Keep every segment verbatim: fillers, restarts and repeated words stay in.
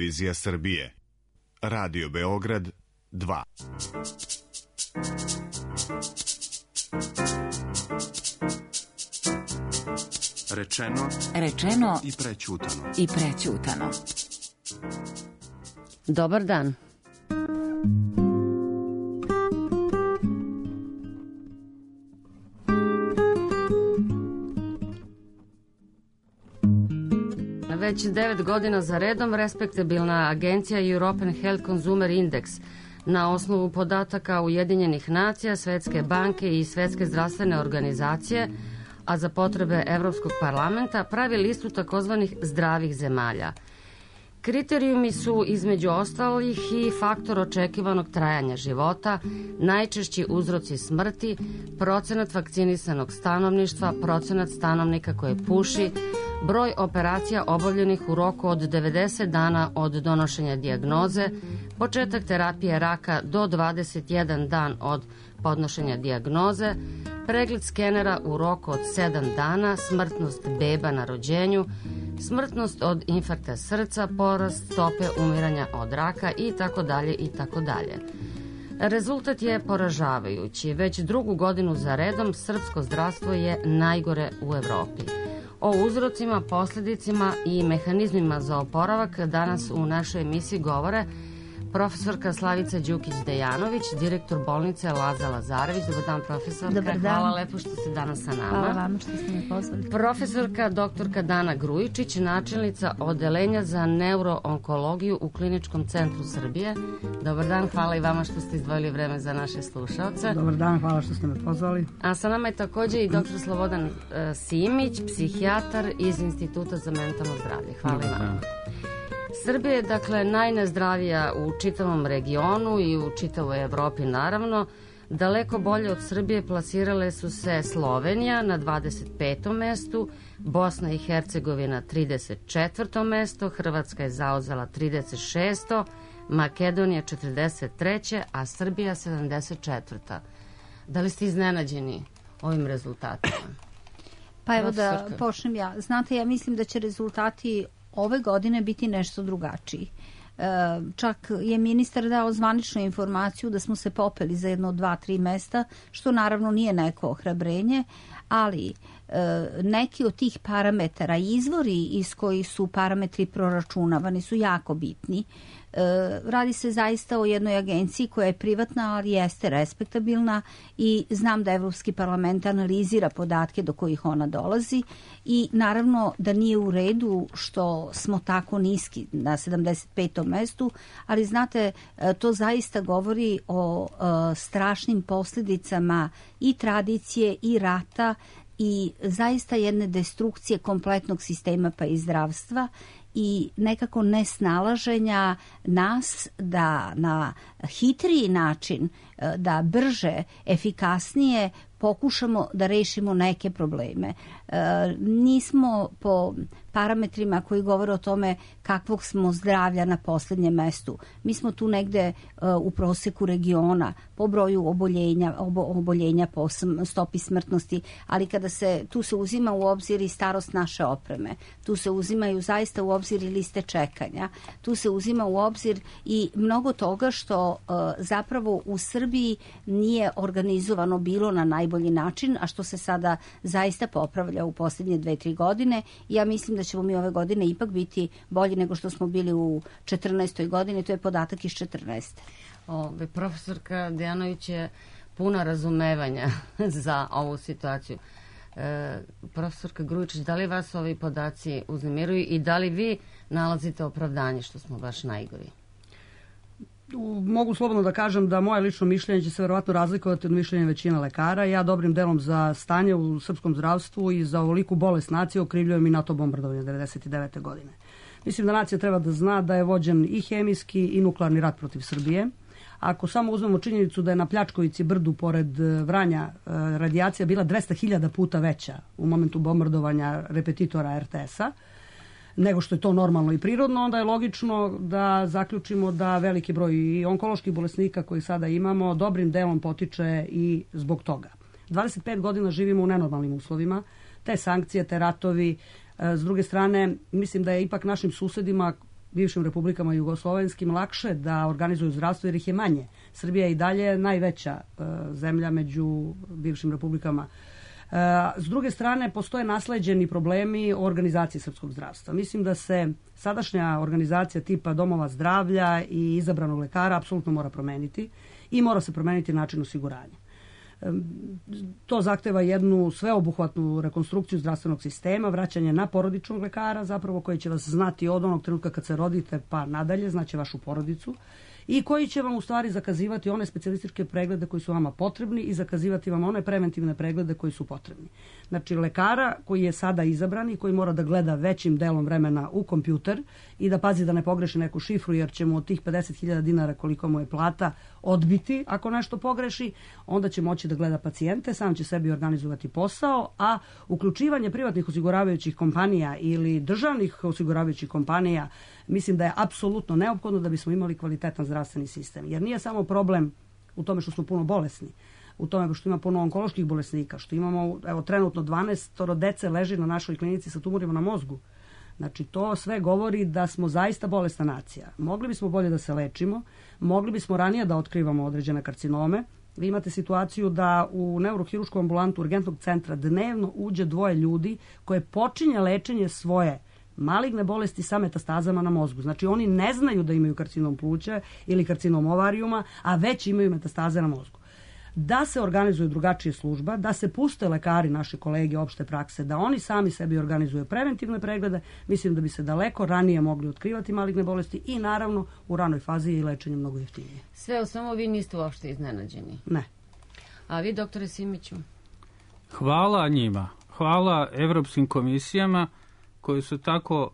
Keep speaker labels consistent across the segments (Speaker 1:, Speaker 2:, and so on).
Speaker 1: televizija Srbije. Radio Beograd dva.
Speaker 2: Rečeno,
Speaker 3: rečeno
Speaker 2: i prećutano.
Speaker 3: I prećutano. Dobar dan. Već devet godina za redom respektabilna agencija European Health Consumer Index na osnovu podataka Ujedinjenih nacija, Svetske banke i Svetske zdravstvene organizacije, a za potrebe Evropskog parlamenta, pravi listu takozvanih zdravih zemalja. Kriterijumi su između ostalih i faktor očekivanog trajanja života, najčešći uzroci smrti, procenat vakcinisanog stanovništva, procenat stanovnika koje puši, broj operacija obavljenih u roku od devedeset dana od donošenja dijagnoze, početak terapije raka do dvadeset jedan dan od podnošenja dijagnoze, pregled skenera u roku od sedam dana, smrtnost beba na rođenju, smrtnost od infarkta srca, porast stope umiranja od raka i tako dalje i tako dalje. Rezultat je poražavajući. Već drugu godinu za redom srpsko zdravstvo je najgore u Evropi. O uzrocima, posljedicima i mehanizmima za oporavak danas u našoj emisiji govore profesorka Slavica Đukić-Dejanović, direktor bolnice Laza Lazarević. Dobar dan, profesorka.
Speaker 4: Dobar dan.
Speaker 3: Hvala lepo što ste danas sa nama.
Speaker 4: Hvala vama što ste me pozvali.
Speaker 3: Profesorka doktorka Dana Grujičić, načelnica odeljenja za neuroonkologiju u Kliničkom centru Srbije. Dobar dan, hvala i vama što ste izdvojili vreme za naše slušaoce.
Speaker 5: Dobar dan, hvala što ste me pozvali.
Speaker 3: A sa nama je također i doktor Slobodan uh, Simić, psihijatar iz Instituta za mentalno zdravlje. Hvala i vama. Srbija je dakle najnezdravija u čitavom regionu i u čitavoj Evropi naravno. Daleko bolje od Srbije plasirale su se Slovenija na dvadeset petom mestu, Bosna i Hercegovina trideset četvrtom mesto, Hrvatska je zauzela trideset šesto, Makedonija četrdeset treće, a Srbija sedamdeset četvrta. Da li ste iznenađeni ovim rezultatima?
Speaker 4: Pa evo da počnem ja. Znate, ja mislim da će rezultati ove godine biti nešto drugačiji. E, čak je ministar dao zvaničnu informaciju da smo se popeli za jedno dva, tri mesta, što naravno nije neko ohrabrenje, ali e, neki od tih parametara, izvori iz kojih su parametri proračunavani su jako bitni. E, radi se zaista o jednoj agenciji koja je privatna, ali jeste respektabilna i znam da Evropski parlament analizira podatke do kojih ona dolazi i naravno da nije u redu što smo tako niski na sedamdeset petom mestu, ali znate, to zaista govori o e, strašnim posljedicama i tradicije i rata i zaista jedne destrukcije kompletnog sistema pa i zdravstva i nekako nesnalaženja nas da na hitriji način, da brže, efikasnije pokušamo da rešimo neke probleme. E, nismo po parametrima koji govore o tome kakvog smo zdravlja na posljednjem mestu. Mi smo tu negde e, u proseku regiona po broju oboljenja, obo, oboljenja po stopi smrtnosti, ali kada se tu se uzima u obzir i starost naše opreme, tu se uzimaju zaista u obzir i liste čekanja, tu se uzima u obzir i mnogo toga što e, zapravo u Srbiji nije organizovano bilo na najbolji način, a što se sada zaista popravlja u posljednje dve, tri godine. Ja mislim da ćemo mi ove godine ipak biti bolji nego što smo bili u četrnaestoj godini, to je podatak iz četrnaeste.
Speaker 3: Ove, profesorka Dejanović je puna razumevanja za ovu situaciju. E, profesorka Grujičić, da li vas ovi podaci uznemiruju i da li vi nalazite opravdanje što smo baš najgori?
Speaker 5: Mogu slobodno da kažem da moje lično mišljenje će se verovatno razlikovati od mišljenja većina lekara. Ja dobrim delom za stanje u srpskom zdravstvu i za ovoliku bolest nacije okrivljujem i NATO bombardovanje devedeset devete godine. Mislim da nacija treba da zna da je vođen i hemijski i nuklearni rat protiv Srbije. Ako samo uzmemo činjenicu da je na Pljačkovici brdu pored Vranja radijacija bila dvesta hiljada puta veća u momentu bombardovanja repetitora er te es-a, nego što je to normalno i prirodno, onda je logično da zaključimo da veliki broj i onkoloških bolesnika koji sada imamo dobrim delom potiče i zbog toga. dvadeset pet godina živimo u nenormalnim uslovima, te sankcije, te ratovi. S druge strane, mislim da je ipak našim susedima bivšim republikama jugoslovenskim lakše da organizuju zdravstvo jer ih je manje. Srbija je i dalje najveća e, zemlja među bivšim republikama. E, s druge strane, postoje nasleđeni problemi o organizaciji srpskog zdravstva. Mislim da se sadašnja organizacija tipa domova zdravlja i izabranog lekara apsolutno mora promeniti i mora se promeniti način osiguranja. To zahteva jednu sveobuhvatnu rekonstrukciju zdravstvenog sistema, vraćanje na porodičnog lekara, zapravo koji će vas znati od onog trenutka kad se rodite pa nadalje, znaće vašu porodicu, i koji će vam u stvari zakazivati one specijalističke preglede koji su vama potrebni i zakazivati vam one preventivne preglede koji su potrebni. Znači, lekara koji je sada izabran i koji mora da gleda većim delom vremena u kompjuter i da pazi da ne pogreši neku šifru, jer će mu od tih pedeset hiljada dinara koliko mu je plata odbiti ako nešto pogreši, onda će moći da gleda pacijente, sam će sebi organizovati posao, a uključivanje privatnih osiguravajućih kompanija ili državnih osiguravajućih kompanija mislim da je apsolutno neophodno da bismo imali kvalitetan zdravstveni sistem. Jer nije samo problem u tome što smo puno bolesni, u tome što ima puno onkoloških bolesnika, što imamo, evo, trenutno dvanaest dece leži na našoj klinici sa tumorima na mozgu. Znači, to sve govori da smo zaista bolesna nacija. Mogli bismo bolje da se lečimo, mogli bismo ranije da otkrivamo određene karcinome. Vi imate situaciju da u neurohirušku ambulantu urgentnog centra dnevno uđe dvoje ljudi koje počinje lečenje svoje maligne bolesti sa metastazama na mozgu. Znači, oni ne znaju da imaju karcinom pluća ili karcinom ovarijuma, a već imaju metastaze na mozgu. Da se organizuje drugačije služba, da se puste lekari, naši kolege opšte prakse, da oni sami sebi organizuju preventivne preglede, mislim da bi se daleko ranije mogli otkrivati maligne bolesti i naravno u ranoj fazi je i lečenje mnogo jeftinije.
Speaker 3: Sve o samo vi niste uopšte iznenađeni.
Speaker 5: Ne.
Speaker 3: A vi, doktore Simiću?
Speaker 6: Hvala njima. Hvala evropskim komisijama koji su tako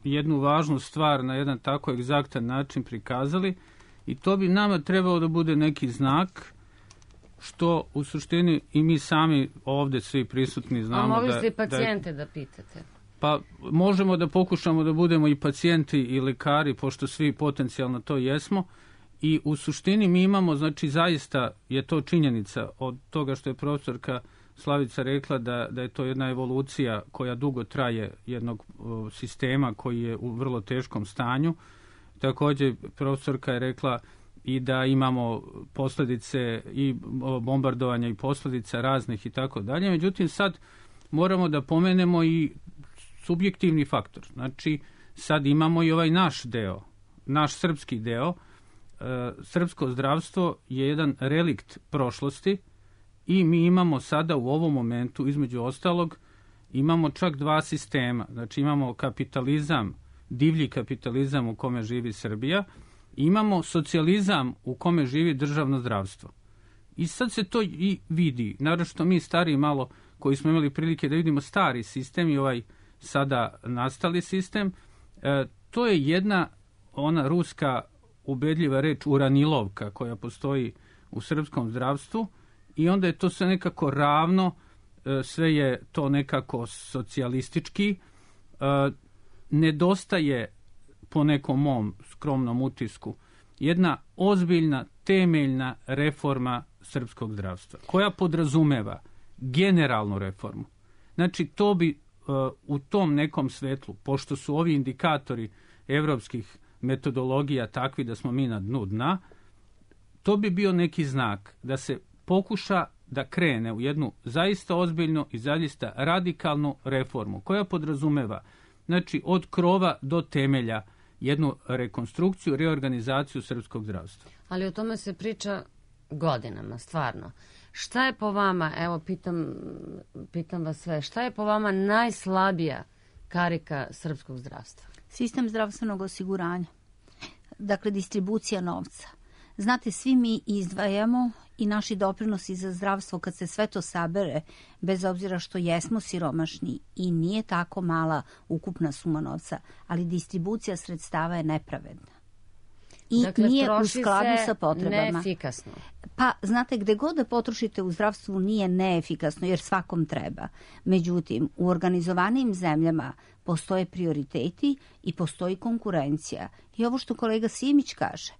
Speaker 6: jednu važnu stvar na jedan tako egzaktan način prikazali i to bi nama trebalo da bude neki znak što u suštini i mi sami ovde svi prisutni znamo.
Speaker 3: A mogli
Speaker 6: da,
Speaker 3: ste i pacijente
Speaker 6: da,
Speaker 3: da pitate?
Speaker 6: Pa možemo da pokušamo da budemo i pacijenti i lekari, pošto svi potencijalno to jesmo. I u suštini mi imamo, znači zaista je to činjenica od toga što je profesorka Slavica rekla da, da je to jedna evolucija koja dugo traje jednog o, sistema koji je u vrlo teškom stanju. Također profesorka je rekla i da imamo posljedice i bombardovanja i posljedica raznih i tako dalje. Međutim, sad moramo da pomenemo i subjektivni faktor. Znači, sad imamo i ovaj naš deo, naš srpski deo. E, srpsko zdravstvo je jedan relikt prošlosti i mi imamo sada u ovom momentu, između ostalog, imamo čak dva sistema. Znači, imamo kapitalizam, divlji kapitalizam u kome živi Srbija, imamo socijalizam u kome živi državno zdravstvo. I sad se to i vidi, naročito mi stari malo koji smo imali prilike da vidimo stari sistem i ovaj sada nastali sistem, e, to je jedna ona ruska ubedljiva reč uranilovka koja postoji u srpskom zdravstvu i onda je to sve nekako ravno, e, sve je to nekako socijalistički, e, nedostaje po nekom mom skromnom utisku jedna ozbiljna, temeljna reforma srpskog zdravstva, koja podrazumeva generalnu reformu. Znači, to bi uh, u tom nekom svetlu, pošto su ovi indikatori evropskih metodologija takvi da smo mi na dnu dna, to bi bio neki znak da se pokuša da krene u jednu zaista ozbiljnu i zaista radikalnu reformu, koja podrazumeva, znači, od krova do temelja jednu rekonstrukciju, reorganizaciju srpskog zdravstva.
Speaker 3: Ali o tome se priča godinama, stvarno. Šta je po vama, evo pitam, pitam vas sve, šta je po vama najslabija karika srpskog zdravstva?
Speaker 4: Sistem zdravstvenog osiguranja. Dakle, distribucija novca. Znate, svi mi izdvajamo i naši doprinosi za zdravstvo, kad se sve to sabere, bez obzira što jesmo siromašni i nije tako mala ukupna suma novca, ali distribucija sredstava je nepravedna. I
Speaker 3: dakle,
Speaker 4: nije u skladu sa potrebama.
Speaker 3: Neefikasno.
Speaker 4: Pa, znate, gde god da potrošite u zdravstvu nije neefikasno, jer svakom treba. Međutim, u organizovanim zemljama postoje prioriteti i postoji konkurencija. I ovo što kolega Simić kaže,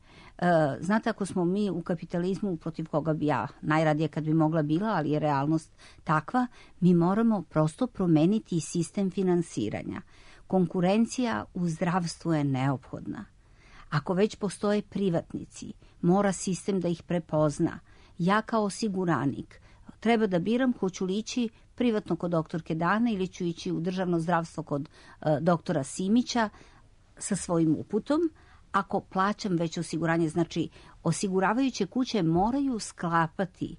Speaker 4: znate, ako smo mi u kapitalizmu, protiv koga bi ja najradije kad bi mogla bila, ali je realnost takva, mi moramo prosto promeniti sistem finansiranja Konkurencija u zdravstvu je neophodna. Ako već postoje privatnici, mora sistem da ih prepozna. Ja kao osiguranik treba da biram hoću li ići privatno kod doktorke Dane ili ću ići u državno zdravstvo kod uh, doktora Simića sa svojim uputom. Ako plaćam već osiguranje, znači osiguravajuće kuće moraju sklapati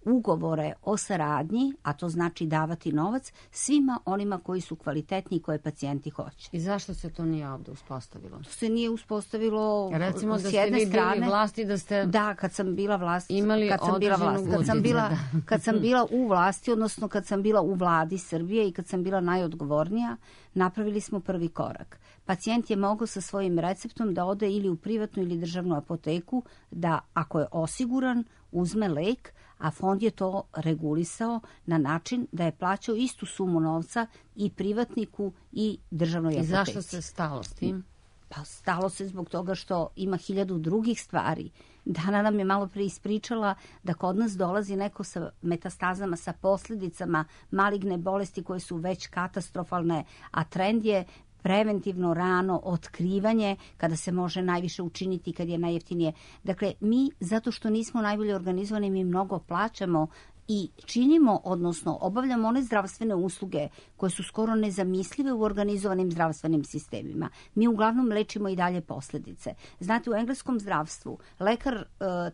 Speaker 4: ugovore o saradnji, a to znači davati novac svima onima koji su kvalitetni i koje pacijenti hoće.
Speaker 3: I zašto se to nije ovde uspostavilo?
Speaker 4: To se nije uspostavilo
Speaker 3: Recimo
Speaker 4: s
Speaker 3: da
Speaker 4: jedne
Speaker 3: ste vi
Speaker 4: strane,
Speaker 3: bili vlasti, da ste
Speaker 4: da, kad sam bila vlast,
Speaker 3: imali
Speaker 4: kad sam bila vlast, kad sam bila,
Speaker 3: da.
Speaker 4: kad sam bila u vlasti, odnosno kad sam bila u vladi Srbije i kad sam bila najodgovornija, napravili smo prvi korak. Pacijent je mogao sa svojim receptom da ode ili u privatnu ili državnu apoteku, da ako je osiguran, uzme lek, a fond je to regulisao na način da je plaćao istu sumu novca i privatniku i državnoj apoteci.
Speaker 3: I zašto se stalo s tim?
Speaker 4: Pa stalo se zbog toga što ima hiljadu drugih stvari. Dana nam je malo pre ispričala da kod nas dolazi neko sa metastazama, sa posljedicama maligne bolesti koje su već katastrofalne, a trend je preventivno rano otkrivanje kada se može najviše učiniti, kad je najjeftinije. Dakle, mi, zato što nismo najbolje organizovani, mi mnogo plaćamo i činimo, odnosno obavljamo one zdravstvene usluge koje su skoro nezamislive u organizovanim zdravstvenim sistemima. Mi uglavnom lečimo i dalje posljedice. Znate, u engleskom zdravstvu lekar,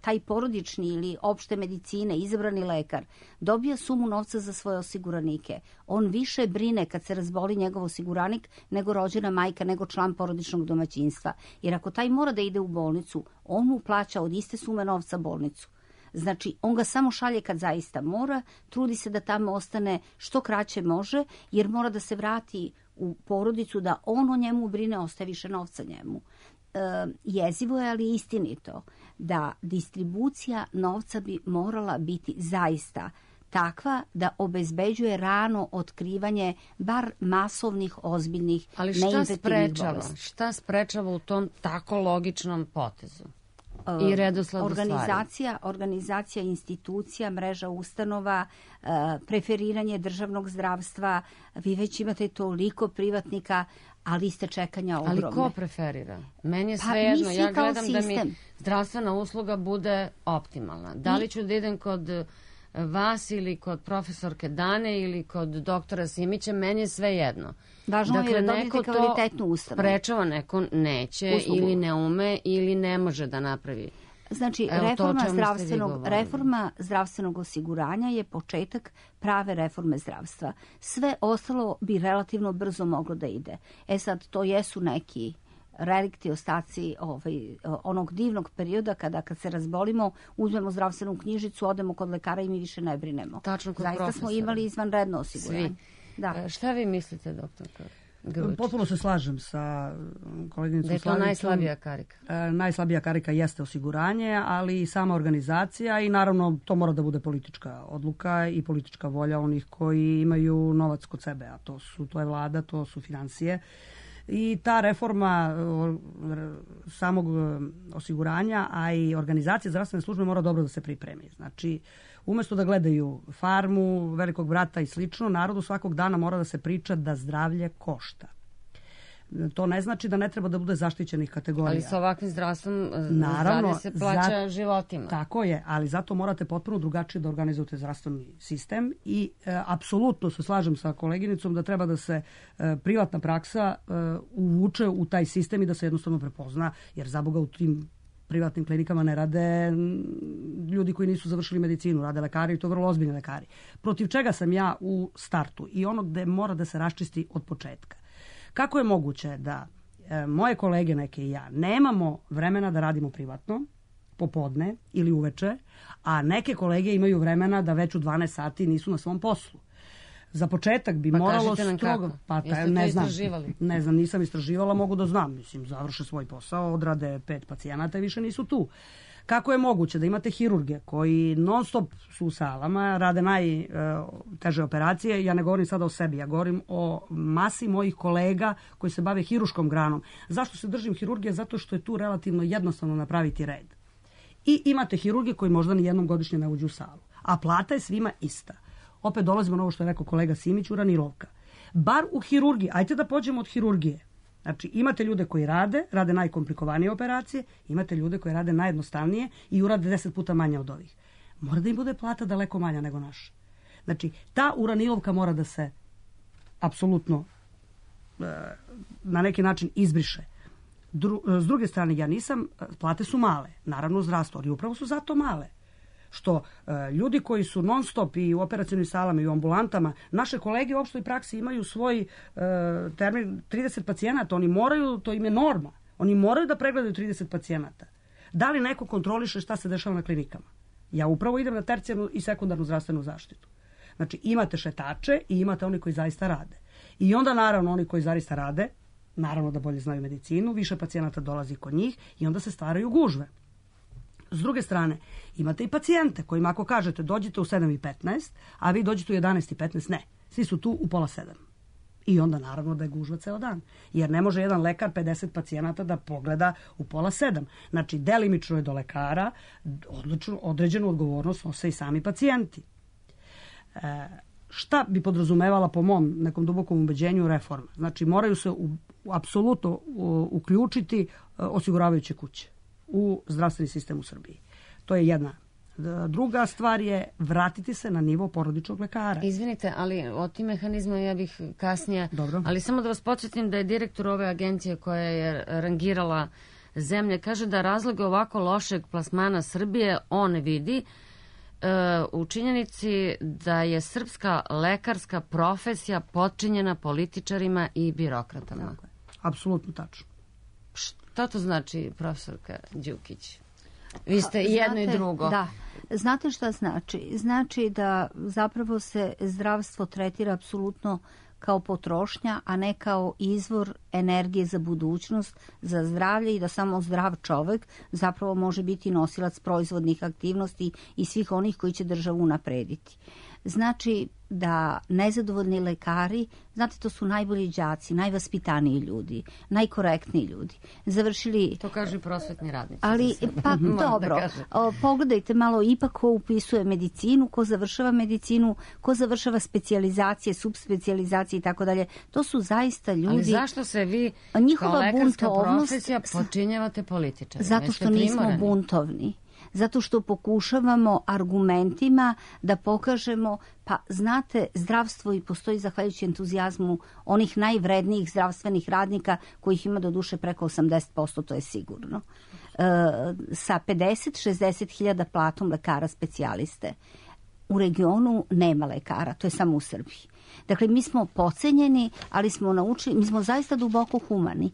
Speaker 4: taj porodični ili opšte medicine, izabrani lekar, dobija sumu novca za svoje osiguranike. On više brine kad se razboli njegov osiguranik nego rođena majka, nego član porodičnog domaćinstva. Jer ako taj mora da ide u bolnicu, on mu plaća od iste sume novca bolnicu. Znači, on ga samo šalje kad zaista mora, trudi se da tamo ostane što kraće može, jer mora da se vrati u porodicu, da on o njemu brine, ostaje više novca njemu. E, jezivo je, ali istinito, da distribucija novca bi morala biti zaista takva da obezbeđuje rano otkrivanje bar masovnih, ozbiljnih, neinfektivnih bolesti.
Speaker 3: Šta sprečava u tom tako logičnom potezu? I redosled
Speaker 4: organizacija, organizacija institucija, mreža ustanova, preferiranje državnog zdravstva. Vi već imate toliko privatnika, a liste čekanja ogromne.
Speaker 3: Ali ko preferira? Meni je pa, svejedno. Ja gledam sistem. Da mi zdravstvena usluga bude optimalna. Da li ću da idem kod vas ili kod profesorke Dane ili kod doktora Simića, meni je sve jedno.
Speaker 4: Važno dakle, je da dobijete kvalitetnu ustanovu.
Speaker 3: Sprečava, neko neće uslugu. Ili ne ume ili ne može da napravi.
Speaker 4: Znači, evo reforma, zdravstvenog, reforma zdravstvenog osiguranja je početak prave reforme zdravstva. Sve ostalo bi relativno brzo moglo da ide. E sad, to jesu neki relikti, ostaci ovaj, onog divnog perioda kada kad se razbolimo, uzmemo zdravstvenu knjižicu, odemo kod lekara i mi više ne brinemo.
Speaker 3: Tačno kod
Speaker 4: Zaista
Speaker 3: profesora.
Speaker 4: Smo imali izvanredno osiguranje.
Speaker 3: Svi.
Speaker 4: Da.
Speaker 3: Šta vi mislite, doktorka Grlić?
Speaker 5: Potpuno se slažem sa koleginicom Slavicom.
Speaker 3: Da je to najslabija karika?
Speaker 5: E, najslabija karika jeste osiguranje, ali i sama organizacija i naravno to mora da bude politička odluka i politička volja onih koji imaju novac kod sebe, a to su to je vlada, to su financije. I ta reforma samog osiguranja, a i organizacije zdravstvene službe mora dobro da se pripremi. Znači, umjesto da gledaju Farmu, Velikog brata i slično, narodu svakog dana mora da se priča da zdravlje košta. To ne znači da ne treba da bude zaštićenih kategorija.
Speaker 3: Ali sa ovakvim zdravstvom zdravlje se plaća
Speaker 5: za,
Speaker 3: životima.
Speaker 5: Tako je, ali zato morate potpuno drugačije da organizujete zdravstveni sistem i e, apsolutno se slažem sa koleginicom da treba da se e, privatna praksa e, uvuče u taj sistem i da se jednostavno prepozna, jer za Boga u tim privatnim klinikama ne rade ljudi koji nisu završili medicinu, rade lekari i to vrlo ozbiljni lekari. Protiv čega sam ja u startu i ono gde mora da se raščisti od početka. Kako je moguće da e, moje kolege neke i ja nemamo vremena da radimo privatno, popodne ili uveče, a neke kolege imaju vremena da već u dvanaest sati nisu na svom poslu. Za početak bi
Speaker 3: pa
Speaker 5: moralo
Speaker 3: strogo.
Speaker 5: Pa
Speaker 3: taj,
Speaker 5: ne znam,
Speaker 3: istraživali?
Speaker 5: Ne znam, nisam istraživala, mogu da znam. Mislim, završe svoj posao, odrade pet pacijenata i više nisu tu. Kako je moguće da imate hirurge koji non stop su u salama, rade najteže operacije, ja ne govorim sada o sebi, ja govorim o masi mojih kolega koji se bave hiruškom granom. Zašto se držim hirurgije? Zato što je tu relativno jednostavno napraviti red. I imate hirurge koji možda ni jednom godišnje ne uđu u salu, a plata je svima ista. Opet dolazimo na ovo što je rekao kolega Simić, uranilovka. bar u hirurgiji, ajte da pođemo od hirurgije. Znači, imate ljude koji rade, rade najkomplikovanije operacije, imate ljude koji rade najjednostavnije i urade deset puta manje od ovih. Mora da im bude plata daleko manja nego naša. Znači, ta uranilovka mora da se apsolutno na neki način izbriše. Dru, s druge strane, ja nisam, plate su male, naravno u zdravstvu, ali upravo su zato male. Što e, ljudi koji su non stop i u operacionim salama i u ambulantama, naše kolege u opštoj praksi imaju svoj e, termin trideset pacijenata, oni moraju, to im je norma, oni moraju da pregledaju trideset pacijenata. Da li neko kontroliše šta se dešava na klinikama? Ja upravo idem na tercijarnu i sekundarnu zdravstvenu zaštitu. Znači, imate šetače i imate oni koji zaista rade. I onda, naravno, oni koji zaista rade, naravno da bolje znaju medicinu, više pacijenata dolazi kod njih i onda se stvaraju gužve. S druge strane, imate i pacijente kojima ako kažete dođite u sedam i petnaest, a vi dođete u jedanaest i petnaest, ne. Svi su tu u pola sedam. I onda naravno da je gužva ceo dan. Jer ne može jedan lekar pedeset pacijenata da pogleda u pola sedam. Znači, delimično je do lekara, odlično, određenu odgovornost nose i sami pacijenti. E, šta bi podrazumevala po mom nekom dubokom ubeđenju reforma? Znači, moraju se u, u, apsolutno u, uključiti uh, osiguravajuće kuće u zdravstveni sistem u Srbiji. To je jedna. Druga stvar je vratiti se na nivo porodičnog lekara.
Speaker 3: Izvinite, ali o tim mehanizma ja bih kasnije...
Speaker 5: Dobro.
Speaker 3: Ali samo da vas podsjetim da je direktor ove agencije koja je rangirala zemlje, kaže da razloge ovako lošeg plasmana Srbije on vidi u činjenici da je srpska lekarska profesija potčinjena političarima i birokratama.
Speaker 5: Tako je. Apsolutno tačno.
Speaker 3: Šta to znači, profesorka Đukić? Vi ste i jedno
Speaker 4: Znate,
Speaker 3: i drugo.
Speaker 4: Da. Znate šta znači? Znači da zapravo se zdravstvo tretira apsolutno kao potrošnja, a ne kao izvor energije za budućnost, za zdravlje i da samo zdrav čovek zapravo može biti nosilac proizvodnih aktivnosti i svih onih koji će državu unaprediti. Znači da nezadovoljni lekari, znate, to su najbolji đaci, najvaspitaniji ljudi, najkorektniji ljudi. Završili...
Speaker 3: To kažu i prosvetni radnici.
Speaker 4: Ali, pa dobro, o, pogledajte malo ipak ko upisuje medicinu, ko završava medicinu, ko završava specijalizacije, subspecijalizacije i tako dalje. To su zaista ljudi...
Speaker 3: Ali zašto se vi
Speaker 4: njihova
Speaker 3: kao lekarska
Speaker 4: buntovnost,
Speaker 3: profesija počinjavate političari?
Speaker 4: Zato što nismo buntovni. Zato što pokušavamo argumentima da pokažemo, pa znate, zdravstvo i postoji zahvaljujući entuzijazmu onih najvrednijih zdravstvenih radnika kojih ima do duše preko osamdeset posto, to je sigurno. E, sa pedeset do šezdeset hiljada platom lekara specijaliste. U regionu nema lekara, to je samo u Srbiji. Dakle, mi smo pocenjeni, ali smo naučili, mi smo zaista duboko humani.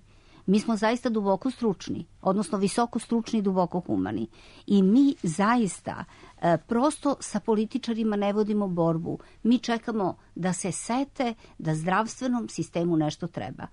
Speaker 4: Mi smo zaista duboko stručni, odnosno visoko stručni i duboko humani. I mi zaista e, prosto sa političarima ne vodimo borbu. Mi čekamo da se sete da zdravstvenom sistemu nešto treba.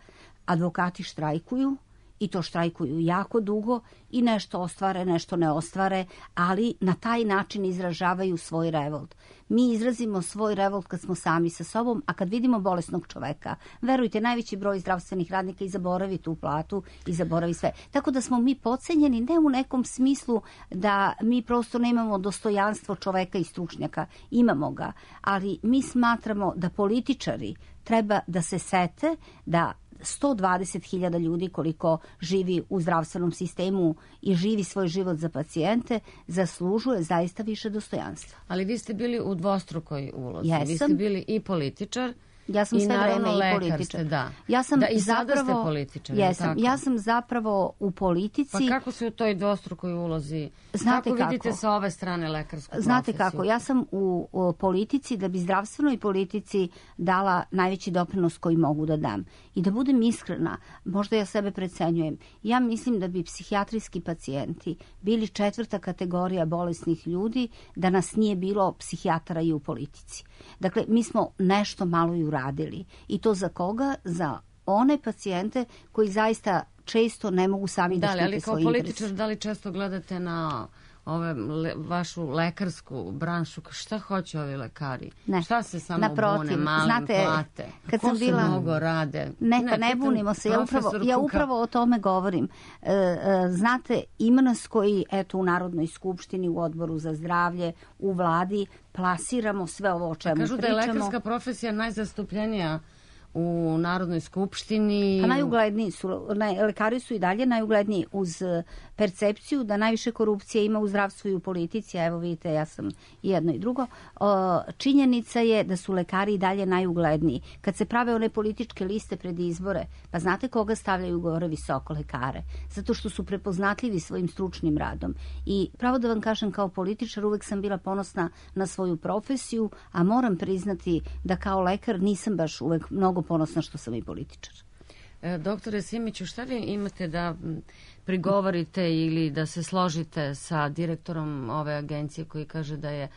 Speaker 4: Advokati štrajkuju i to štrajkuju jako dugo i nešto ostvare, nešto ne ostvare, ali na taj način izražavaju svoj revolt. Mi izrazimo svoj revolt kad smo sami sa sobom, a kad vidimo bolesnog čoveka, verujte, najveći broj zdravstvenih radnika i zaboravi tu platu i zaboravi sve. Tako da smo mi podcenjeni, ne u nekom smislu da mi prosto nemamo dostojanstvo čoveka i stručnjaka, imamo ga, ali mi smatramo da političari treba da se sete da sto dvadeset hiljada ljudi koliko živi u zdravstvenom sistemu i živi svoj život za pacijente, zaslužuje zaista više dostojanstva.
Speaker 3: Ali vi ste bili u dvostrukoj ulozi.
Speaker 4: Jesam.
Speaker 3: Vi ste bili i političar
Speaker 4: Ja sam
Speaker 3: i
Speaker 4: sve vreme i političar.
Speaker 3: Ste, da.
Speaker 4: Ja sam
Speaker 3: da, i
Speaker 4: zapravo,
Speaker 3: sada ste političar.
Speaker 4: Jesam. Ja sam zapravo u politici...
Speaker 3: Pa kako se u toj dvostrukoj ulozi...
Speaker 4: Znate
Speaker 3: kako,
Speaker 4: kako
Speaker 3: vidite sa ove strane lekarsku
Speaker 4: Znate
Speaker 3: profesiju?
Speaker 4: kako, ja sam u, u politici da bi zdravstvenoj politici dala najveći doprinos koji mogu da dam. I da budem iskrena, možda ja sebe precenjujem, ja mislim da bi psihijatrijski pacijenti bili četvrta kategorija bolesnih ljudi da nas nije bilo psihijatara i u politici. Dakle, mi smo nešto malo i uradili. I to za koga? Za one pacijente koji zaista često ne mogu sami da, da štite svoj interes.
Speaker 3: Ali kao političar, da li često gledate na ove le, vašu lekarsku branšu, šta hoće ovi lekari?
Speaker 4: Ne.
Speaker 3: Šta se samo
Speaker 4: Naprotiv,
Speaker 3: bune, male
Speaker 4: znate,
Speaker 3: plate?
Speaker 4: Kad
Speaker 3: Ko
Speaker 4: sam
Speaker 3: se
Speaker 4: bila...
Speaker 3: mnogo rade?
Speaker 4: Ne, pa ne, ne bunimo se, ja upravo, ja upravo o tome govorim. E, e, znate, ima nas koji, eto, u Narodnoj skupštini, u Odboru za zdravlje, u vladi, plasiramo sve ovo o čemu
Speaker 3: Kažu
Speaker 4: pričamo.
Speaker 3: Kažu da je lekarska profesija najzastupljenija u Narodnoj skupštini.
Speaker 4: Pa najugledniji su, lekari su i dalje najugledniji uz percepciju da najviše korupcije ima u zdravstvu i u politici, a evo vidite, ja sam i jedno i drugo. Činjenica je da su lekari i dalje najugledniji. Kad se prave one političke liste pred izbore, pa znate koga stavljaju gore visoko? Lekare. Zato što su prepoznatljivi svojim stručnim radom. I pravo da vam kažem, kao političar uvek sam bila ponosna na svoju profesiju, a moram priznati da kao lekar nisam baš uvek mnogo ponosna što sam i političar.
Speaker 3: E, doktore Simiću, šta vi imate da prigovorite ili da se složite sa direktorom ove agencije koji kaže da je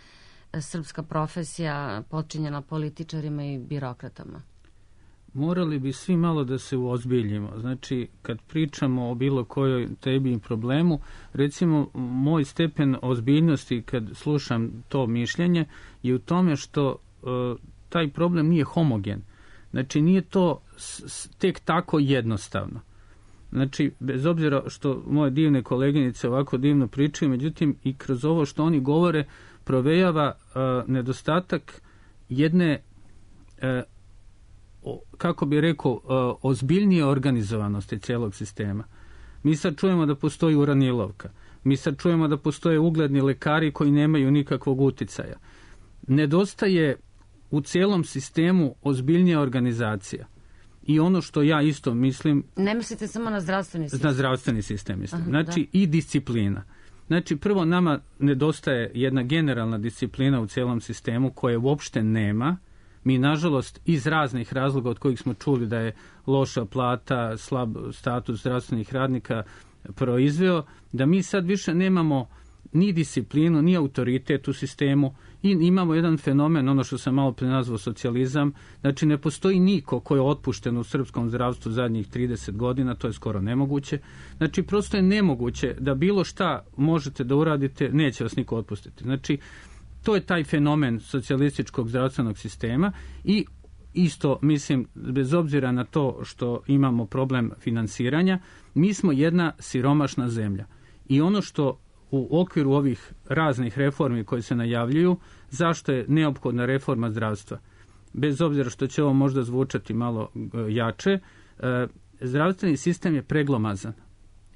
Speaker 3: srpska profesija potčinjena političarima i birokratama?
Speaker 6: Morali bi svi malo da se uozbiljimo. Znači, kad pričamo o bilo kojoj tebi i problemu, recimo, moj stepen ozbiljnosti kad slušam to mišljenje je u tome što uh, taj problem nije homogen. Znači, nije to s, tek tako jednostavno. Znači, bez obzira što moje divne koleginice ovako divno pričaju, međutim, i kroz ovo što oni govore, provejava uh, nedostatak jedne uh, kako bi rekao, ozbiljnije organizovanosti cijelog sistema. Mi sad čujemo da postoji uranilovka. Mi sad čujemo da postoje ugledni lekari koji nemaju nikakvog uticaja. Nedostaje u cijelom sistemu ozbiljnija organizacija. I ono što ja isto mislim...
Speaker 3: Ne mislite samo na zdravstveni sistem?
Speaker 6: Na zdravstveni sistem mislim.
Speaker 3: Aha,
Speaker 6: znači da. I disciplina. Znači, prvo nama nedostaje jedna generalna disciplina u cijelom sistemu koje uopšte nema. Mi, nažalost, iz raznih razloga od kojih smo čuli da je loša plata, slab status zdravstvenih radnika proizveo, da mi sad više nemamo ni disciplinu, ni autoritet u sistemu i imamo jedan fenomen, ono što sam malo pre nazvao socijalizam, znači ne postoji niko ko je otpušten u srpskom zdravstvu zadnjih trideset godina, to je skoro nemoguće. Znači, prosto je nemoguće da bilo šta možete da uradite, neće vas niko otpustiti. Znači, to je taj fenomen socijalističkog zdravstvenog sistema i isto, mislim, bez obzira na to što imamo problem finansiranja, mi smo jedna siromašna zemlja. I ono što u okviru ovih raznih reformi koje se najavljuju, zašto je neophodna reforma zdravstva? Bez obzira što će ovo možda zvučati malo jače, zdravstveni sistem je preglomazan.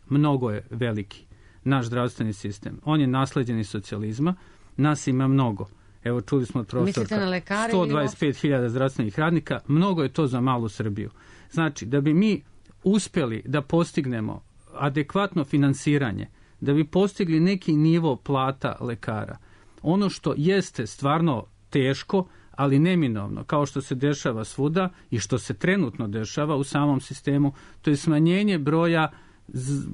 Speaker 6: Mnogo je veliki, naš zdravstveni sistem. On je nasleđen iz socijalizma. Nas ima mnogo. Evo, čuli smo od profesorka, sto dvadeset pet hiljada zdravstvenih radnika, mnogo je to za malu Srbiju. Znači, da bi mi uspjeli da postignemo adekvatno finansiranje, da bi postigli neki nivo plata lekara, ono što jeste stvarno teško, ali neminovno, kao što se dešava svuda i što se trenutno dešava u samom sistemu, to je smanjenje broja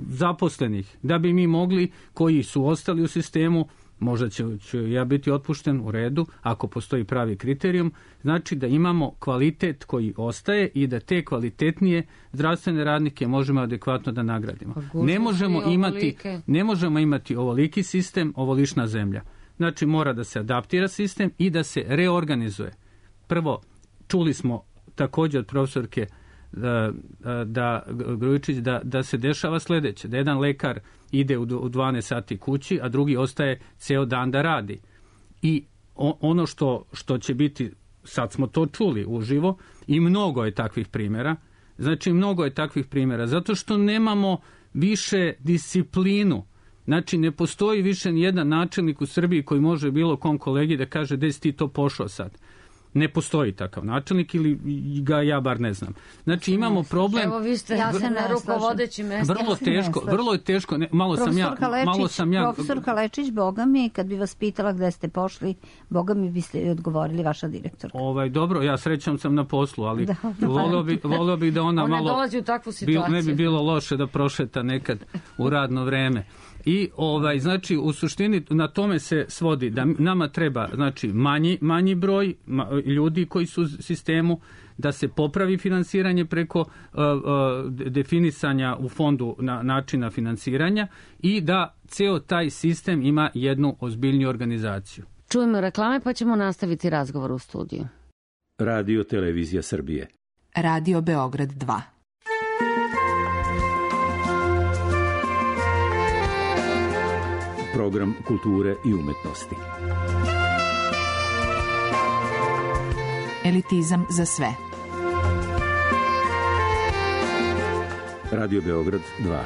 Speaker 6: zaposlenih, da bi mi mogli, koji su ostali u sistemu, možda ću, ću ja biti otpušten u redu, ako postoji pravi kriterijum, znači da imamo kvalitet koji ostaje i da te kvalitetnije zdravstvene radnike možemo adekvatno da nagradimo. Ne možemo imati, ne možemo imati ovoliki sistem, ovolična zemlja. Znači, mora da se adaptira sistem i da se reorganizuje. Prvo, čuli smo također od profesorke da, da Grujičić da, da se dešava sledeće, da jedan lekar ide u dvanaest sati kući, a drugi ostaje ceo dan da radi. I ono što, što će biti, sad smo to čuli uživo, i mnogo je takvih primjera, znači mnogo je takvih primjera, zato što nemamo više disciplinu. Znači, ne postoji više ni jedan načelnik u Srbiji koji može bilo kom kolegi da kaže gde si ti to pošao sad. Ne postoji takav načelnik ili ga ja bar ne znam. Znači, imamo problem...
Speaker 3: Evo, vi ste ja na rukovodećim mjestu.
Speaker 6: Vrlo teško, vrlo je teško. Ne, malo sam ja...
Speaker 4: Lečić,
Speaker 6: malo sam ja...
Speaker 4: Profesorka Lečić, boga mi, kad bi vas pitala gde ste pošli, boga mi biste odgovorili vaša direktorka.
Speaker 6: Ovaj, dobro, ja srećom sam na poslu, ali da, volio bi, volio bi da ona, ona malo... Ona
Speaker 3: dolazi u takvu situaciju.
Speaker 6: Ne bi bilo loše da prošeta nekad u radno vreme. I ovaj, znači, u suštini na tome se svodi da nama treba, znači, manji, manji broj ma, ljudi koji su u sistemu, da se popravi finansiranje preko uh, uh, definisanja u fondu na, načina finansiranja i da ceo taj sistem ima jednu ozbiljniju organizaciju.
Speaker 3: Čujemo reklame pa ćemo nastaviti razgovor u studiju.
Speaker 7: Radio Televizija Srbije.
Speaker 8: Radio Beograd dva.
Speaker 7: Program kulture i umetnosti.
Speaker 8: Elitizam za sve.
Speaker 7: Radio Beograd dva.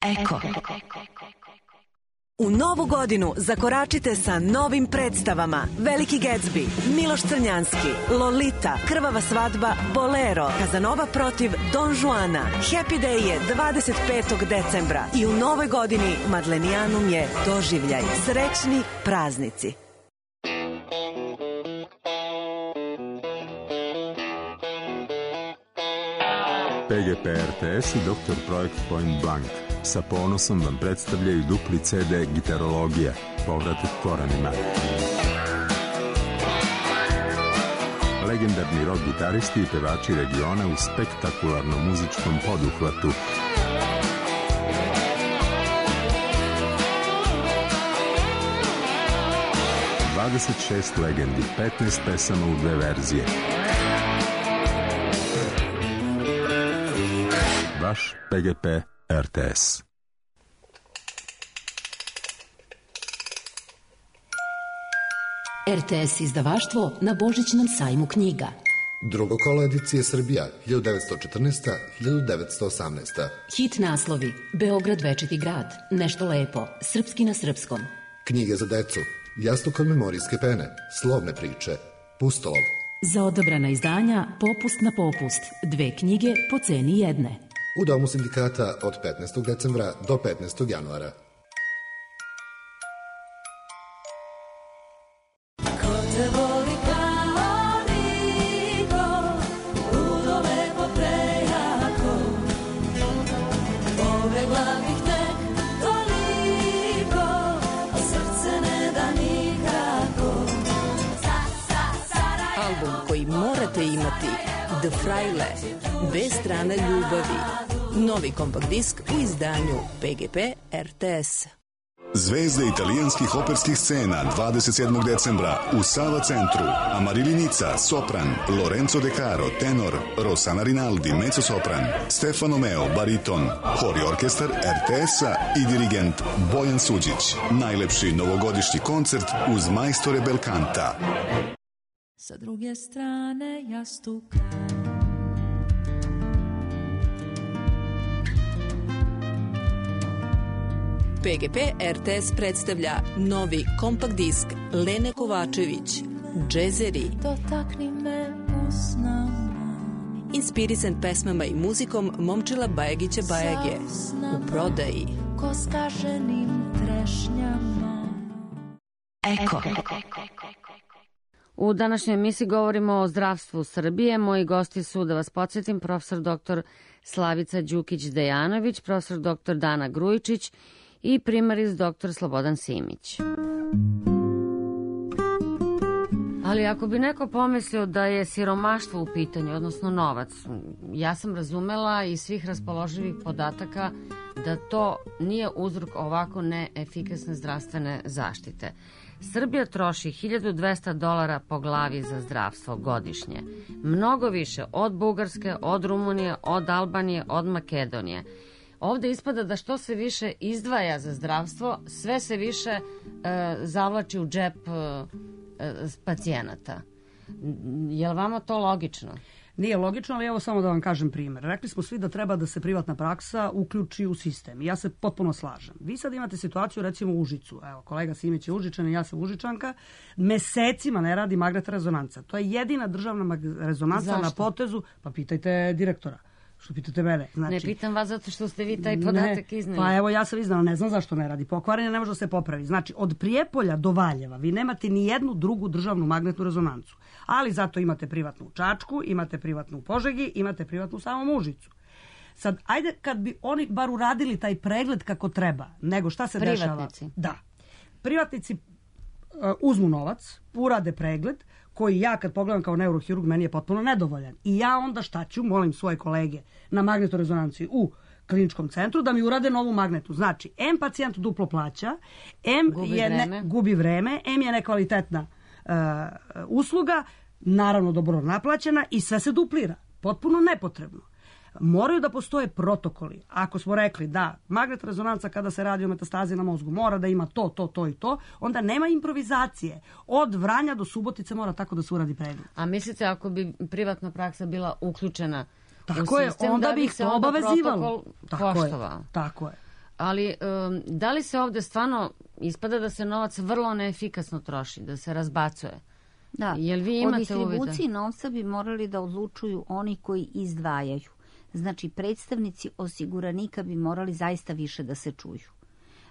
Speaker 9: Eko. U novu godinu zakoračite sa novim predstavama Veliki Gatsby, Miloš Crnjanski, Lolita, Krvava svadba, Bolero, Kazanova protiv Don Juana. Happy Day je dvadeset petog decembra i u novoj godini Madlenijanum je doživljaj. Srećni praznici.
Speaker 10: P G P R T S i doktor Projekt Point Blank sa ponosom vam predstavljaju dupli C D Gitarologija, povratak korenima. Legendarni rock gitaristi i pevači regiona u spektakularnom muzičkom poduhvatu. dvadeset šest legendi, petnaest pesama u dve verzije. Vaš P G P R T S.
Speaker 11: R T S izdavaštvo na Božićnom sajmu knjiga.
Speaker 12: Drugo kolo edicije Srbija, hiljadu devetsto četrnaesta do hiljadu devetsto osamnaesta.
Speaker 11: Hit naslovi: Beograd večiti grad, Nešto lepo, Srpski na srpskom.
Speaker 12: Knjige za decu, Jastuk od memorijske pene, Slovne priče, Pustolov.
Speaker 11: Za odabrana izdanja Popust na popust, dve knjige po ceni jedne.
Speaker 12: U Domu sindikata od petnaestog decembra do petnaestog januara.
Speaker 9: Morate imati The Fraile, Dve strane ljubavi. Novi kompakt disk u izdanju P G P R T S.
Speaker 13: Zvezde italijanskih operskih scena dvadeset sedmog decembra u Sava centru. Amarilli Nica, sopran, Lorenzo De Caro, tenor, Rossana Rinaldi, mezzosopran, Stefano Meo, bariton, hor i orkestar R T S-a i dirigent Bojan Suđić. Najlepši novogodišnji koncert uz majstore Belkanta.
Speaker 14: Sa druge strane jastuka
Speaker 9: P G P R T S predstavlja novi kompakt disk Lene Kovačević, Džezeri.
Speaker 14: Dotakni me usnama.
Speaker 9: Inspirisan pesmama i muzikom Momčila Bajagića Bajage. U prodaji.
Speaker 14: Ko skaženim trešnjama.
Speaker 11: Eko.
Speaker 3: U današnjoj emisiji govorimo o zdravstvu Srbije. Moji gosti su, da vas podsjetim, profesor doktor Slavica Đukić-Dejanović, profesor doktor Dana Grujičić i primaris doktor Slobodan Simić. Ali ako bi neko pomislio da je siromaštvo u pitanju, odnosno novac, ja sam razumela iz svih raspoloživih podataka da to nije uzrok ovako neefikasne zdravstvene zaštite. Srbija troši hiljadu dvesta dolara po glavi za zdravstvo godišnje. Mnogo više od Bugarske, od Rumunije, od Albanije, od Makedonije. Ovde ispada da što se više izdvaja za zdravstvo, sve se više e, zavlači u džep e, e, pacijenata. Je li vama to logično?
Speaker 5: Nije logično, ali evo samo da vam kažem primjer. Rekli smo svi da treba da se privatna praksa uključi u sistem. Ja se potpuno slažem. Vi sad imate situaciju recimo u Užicu. Evo, kolega Simić je Užičan i ja sam Užičanka. Mesecima ne radi magnetna rezonanca. To je jedina državna rezonanca. Zašto? Na potezu. Pa pitajte direktora. Što pitate mene? Znači,
Speaker 3: ne pitam vas zato što ste vi taj podatak iznali.
Speaker 5: Pa evo ja sam iznala, ne znam zašto ne radi. Pokvarenje ne može da se popravi. Znači od Prijepolja do Valjeva vi nemate ni jednu drugu državnu magnetnu rezonancu. Ali zato imate privatnu u Čačku, imate privatnu u Požegi, imate privatnu u samom Užicu. Sad, ajde kad bi oni bar uradili taj pregled kako treba, nego šta se
Speaker 3: Privatnici.
Speaker 5: dešava? Da. Privatnici uh, uzmu novac, urade pregled, koji ja kad pogledam kao neurohirurg meni je potpuno nedovoljan. I ja onda šta ću, molim svoje kolege na magnetorezonanciji u kliničkom centru da mi urade novu magnetu. Znači, em pacijent duplo plaća, em
Speaker 3: gubi
Speaker 5: je
Speaker 3: vreme.
Speaker 5: Ne, gubi vreme, em je nekvalitetna uh, usluga, naravno dobro naplaćena i sve se duplira. Potpuno nepotrebno. Moraju da postoje protokoli. Ako smo rekli da magnet rezonanca kada se radi o metastazi na mozgu mora da ima to, to, to i to, onda nema improvizacije. Od Vranja do Subotice mora tako da se uradi pregled.
Speaker 3: A mislite ako bi privatna praksa bila uključena
Speaker 5: tako
Speaker 3: u
Speaker 5: je,
Speaker 3: sistem,
Speaker 5: onda
Speaker 3: da
Speaker 5: bi ih to obavezivalo.
Speaker 3: Tako poštovao?
Speaker 5: Je, tako je.
Speaker 3: Ali um, da li se ovdje stvarno ispada da se novac vrlo neefikasno troši, da se razbacuje?
Speaker 4: Da,
Speaker 3: Jel vi
Speaker 4: o
Speaker 3: imate
Speaker 4: distribuciji
Speaker 3: uvida?
Speaker 4: novca bi morali da odlučuju oni koji izdvajaju. Znači, predstavnici osiguranika bi morali zaista više da se čuju.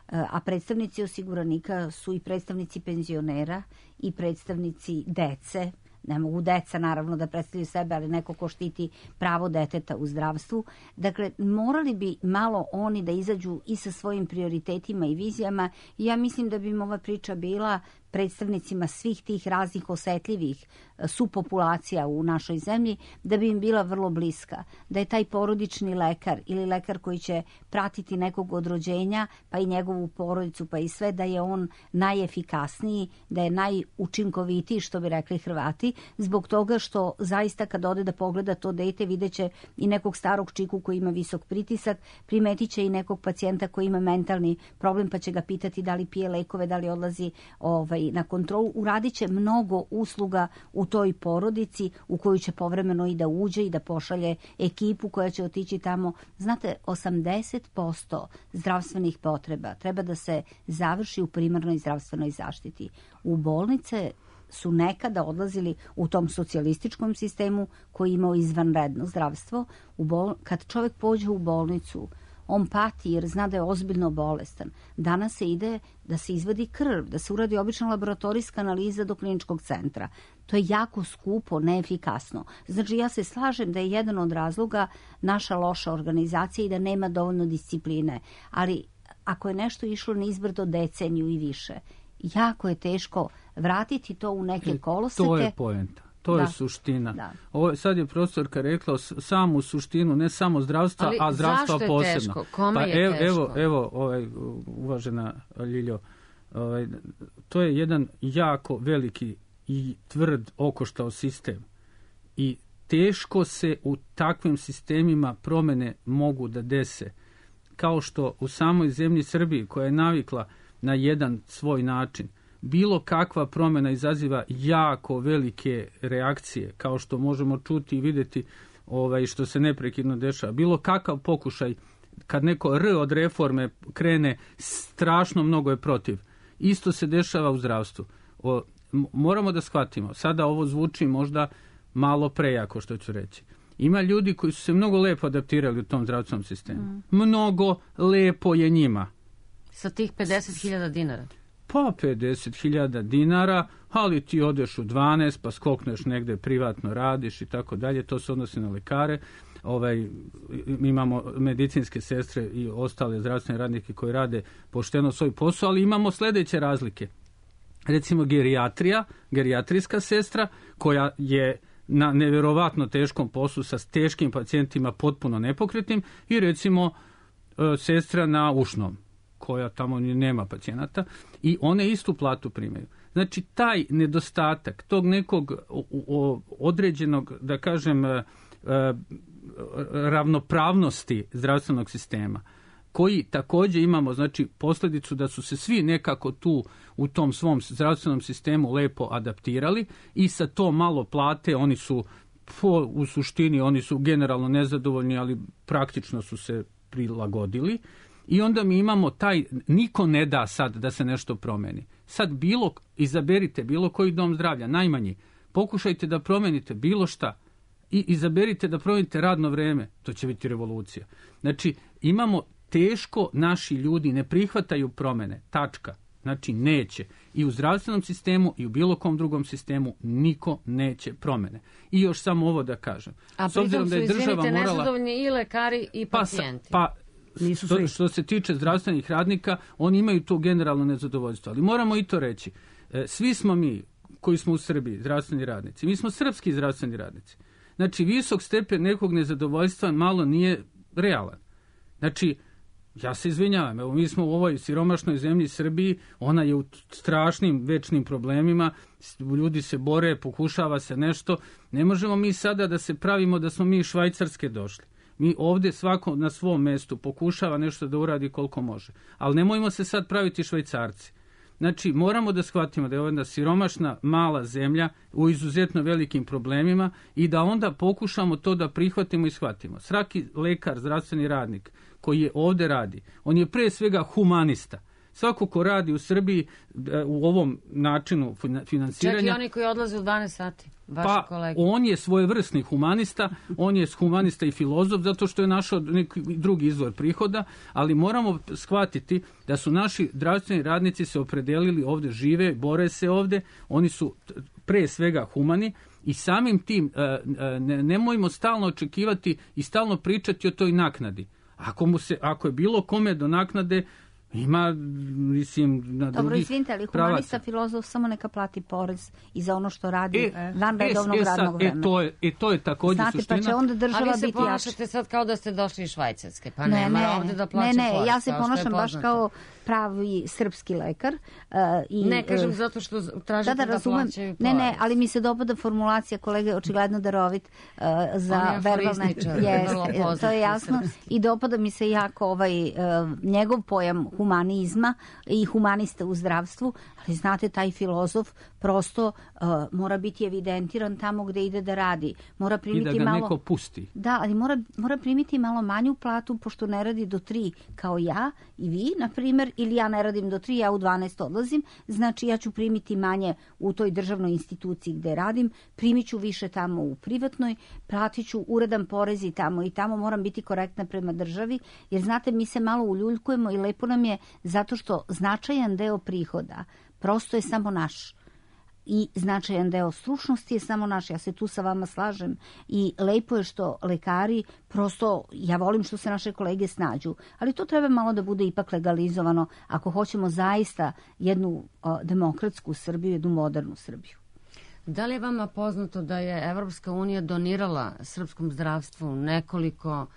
Speaker 4: A predstavnici osiguranika su i predstavnici penzionera i predstavnici dece. Ne mogu deca naravno da predstavljaju sebe, ali neko ko štiti pravo deteta u zdravstvu. Dakle, morali bi malo oni da izađu i sa svojim prioritetima i vizijama. I ja mislim da bi im ova priča bila predstavnicima svih tih raznih osetljivih supopulacija u našoj zemlji, da bi im bila vrlo bliska. Da je taj porodični lekar ili lekar koji će pratiti nekog od rođenja, pa i njegovu porodicu, pa i sve, da je on najefikasniji, da je najučinkovitiji, što bi rekli Hrvati, zbog toga što zaista kad ode da pogleda to dete, videće i nekog starog čiku koji ima visok pritisak, primetit će i nekog pacijenta koji ima mentalni problem, pa će ga pitati da li pije lekove, da li odlazi ovaj, na kontrolu. Uradit će mnogo usluga u toj porodici u koju će povremeno i da uđe i da pošalje ekipu koja će otići tamo. Znate, osamdeset posto zdravstvenih potreba treba da se završi u primarnoj zdravstvenoj zaštiti. U bolnice su nekada odlazili u tom socijalističkom sistemu koji je imao izvanredno zdravstvo. U bol... Kad čovjek pođe u bolnicu, on pati jer zna da je ozbiljno bolestan. Danas se ide da se izvadi krv, da se uradi obična laboratorijska analiza do kliničkog centra. To je jako skupo, neefikasno. Znači, ja se slažem da je jedan od razloga naša loša organizacija i da nema dovoljno discipline. Ali ako je nešto išlo nizbrdo deceniju i više, jako je teško vratiti to u neke koloseke.
Speaker 6: To je poenta. To
Speaker 4: da.
Speaker 6: je suština.
Speaker 4: Da.
Speaker 6: Ovo, sad je profesorka rekla samu suštinu, ne samo zdravstva,
Speaker 3: ali
Speaker 6: a zdravstva
Speaker 3: zašto je
Speaker 6: posebno.
Speaker 3: Teško? Kome
Speaker 6: pa
Speaker 3: je
Speaker 6: evo,
Speaker 3: teško?
Speaker 6: Evo, evo ovaj, uvažena Ljiljo, ovaj, to je jedan jako veliki i tvrd okoštao sistem. I teško se u takvim sistemima promjene mogu da dese. Kao što u samoj zemlji Srbiji, koja je navikla na jedan svoj način, bilo kakva promjena izaziva jako velike reakcije, kao što možemo čuti i vidjeti ovaj, što se neprekidno dešava. Bilo kakav pokušaj, kad neko R od reforme krene, strašno mnogo je protiv. Isto se dešava u zdravstvu. O, moramo da shvatimo, sada ovo zvuči možda malo prejako što ću reći. Ima ljudi koji su se mnogo lepo adaptirali u tom zdravstvenom sistemu. Mm. Mnogo lepo je njima.
Speaker 3: Sa tih pedeset hiljada dinara?
Speaker 6: Pa pedeset hiljada dinara, ali ti odeš u dvanaest, pa skokneš negde, privatno radiš i tako dalje. To se odnosi na lekare. Ovaj, imamo medicinske sestre i ostale zdravstvene radnike koji rade pošteno svoj posao, ali imamo sljedeće razlike. Recimo gerijatrija, gerijatrijska sestra koja je na nevjerovatno teškom poslu sa teškim pacijentima potpuno nepokretnim i recimo sestra na ušnom koja tamo nema pacijenata i one istu platu primaju. Znači taj nedostatak tog nekog određenog, da kažem, ravnopravnosti zdravstvenog sistema, koji također imamo, znači posljedicu da su se svi nekako tu u tom svom zdravstvenom sistemu lepo adaptirali i sa to malo plate oni su po, u suštini oni su generalno nezadovoljni, ali praktično su se prilagodili. I onda mi imamo taj, niko ne da sad da se nešto promeni. Sad bilo, izaberite bilo koji dom zdravlja, najmanji, pokušajte da promenite bilo šta i izaberite da promenite radno vreme, to će biti revolucija. Znači, imamo teško, naši ljudi ne prihvataju promene, tačka. Znači, neće. I u zdravstvenom sistemu i u bilo kom drugom sistemu niko neće promene. I još samo ovo da kažem.
Speaker 3: A pritom su, izvinite, nezadovoljni i lekari i pacijenti.
Speaker 6: Pa, pa Što, što se tiče zdravstvenih radnika, oni imaju to generalno nezadovoljstvo. Ali moramo i to reći. Svi smo mi, koji smo u Srbiji, zdravstveni radnici, mi smo srpski zdravstveni radnici. Znači, visok stepen nekog nezadovoljstva malo nije realan. Znači, ja se izvinjavam, evo mi smo u ovoj siromašnoj zemlji Srbiji, ona je u strašnim večnim problemima, ljudi se bore, pokušava se nešto. Ne možemo mi sada da se pravimo da smo mi iz Švajcarske došli. Mi ovdje svako na svom mjestu pokušava nešto da uradi koliko može. Ali nemojmo se sad praviti Švajcarci. Znači, moramo da shvatimo da je jedna siromašna, mala zemlja u izuzetno velikim problemima i da onda pokušamo to da prihvatimo i shvatimo. Svaki lekar, zdravstveni radnik koji je ovdje radi, on je pre svega humanista. Svako ko radi u Srbiji u ovom načinu finansiranja...
Speaker 3: Čak i oni koji odlaze u dvanaest sati, vaši
Speaker 6: pa,
Speaker 3: kolege.
Speaker 6: On je svojevrsni humanista, on je humanista i filozof, zato što je našao neki drugi izvor prihoda, ali moramo shvatiti da su naši zdravstveni radnici se opredelili ovdje, žive, bore se ovdje, oni su pre svega humani i samim tim ne, nemojmo stalno očekivati i stalno pričati o toj naknadi. Ako, mu se, ako je bilo kome do naknade, ima, mislim, na
Speaker 4: Dobro,
Speaker 6: drugi
Speaker 4: izvinite, ali humanista,
Speaker 6: pravaca.
Speaker 4: Filozof samo neka plati porez i za ono što radi
Speaker 6: E,
Speaker 4: van redovnog
Speaker 6: e, e, sad,
Speaker 4: radnog vremena.
Speaker 6: E, to je, e, to je također
Speaker 4: Znate,
Speaker 6: suština.
Speaker 4: pa će onda država
Speaker 3: A vi se
Speaker 4: biti
Speaker 3: ponašate
Speaker 4: jača.
Speaker 3: sad kao da ste došli iz Švajcarske, pa
Speaker 4: ne,
Speaker 3: ne,
Speaker 4: ne,
Speaker 3: ovdje da plaća
Speaker 4: ne, ne,
Speaker 3: porez,
Speaker 4: ja se
Speaker 3: kao što je
Speaker 4: ponašam baš
Speaker 3: poznato.
Speaker 4: kao pravi srpski lekar. Uh, i,
Speaker 3: Ne, kažem
Speaker 4: uh,
Speaker 3: zato što tražite
Speaker 4: da, da,
Speaker 3: da,
Speaker 4: razumem.
Speaker 3: plaćaju porez.
Speaker 4: Ne, ne, ali mi se dopada formulacija, kolega je očigledno darovit uh, za
Speaker 3: On je
Speaker 4: verbalne...
Speaker 3: aforističar,
Speaker 4: Jest,
Speaker 3: vrlo poznat
Speaker 4: to je
Speaker 3: u
Speaker 4: jasno.
Speaker 3: srpski.
Speaker 4: I dopada mi se jako ovaj, uh, njegov pojam humanizma i humanista u zdravstvu, ali znate, taj filozof prosto uh, mora biti evidentiran tamo gde ide da radi. Mora
Speaker 6: I
Speaker 4: primiti
Speaker 6: da ga
Speaker 4: malo...
Speaker 6: neko pusti.
Speaker 4: Da, ali mora, mora primiti malo manju platu, pošto ne radi do tri kao ja i vi, na primjer, ili ja ne radim do tri, ja u dvanaest odlazim, znači ja ću primiti manje u toj državnoj instituciji gde radim, primit ću više tamo u privatnoj, platit ću uredan porez i tamo i tamo, moram biti korektna prema državi, jer znate, mi se malo uljuljkujemo i lepo nam je zato što značajan deo prihoda prosto je samo naš. I značajan deo stručnosti je samo naš, ja se tu sa vama slažem i lepo je što lekari, prosto ja volim što se naše kolege snađu, ali to treba malo da bude ipak legalizovano ako hoćemo zaista jednu o, demokratsku Srbiju, jednu modernu Srbiju.
Speaker 3: Da li je vama poznato da je Evropska unija donirala srpskom zdravstvu nekoliko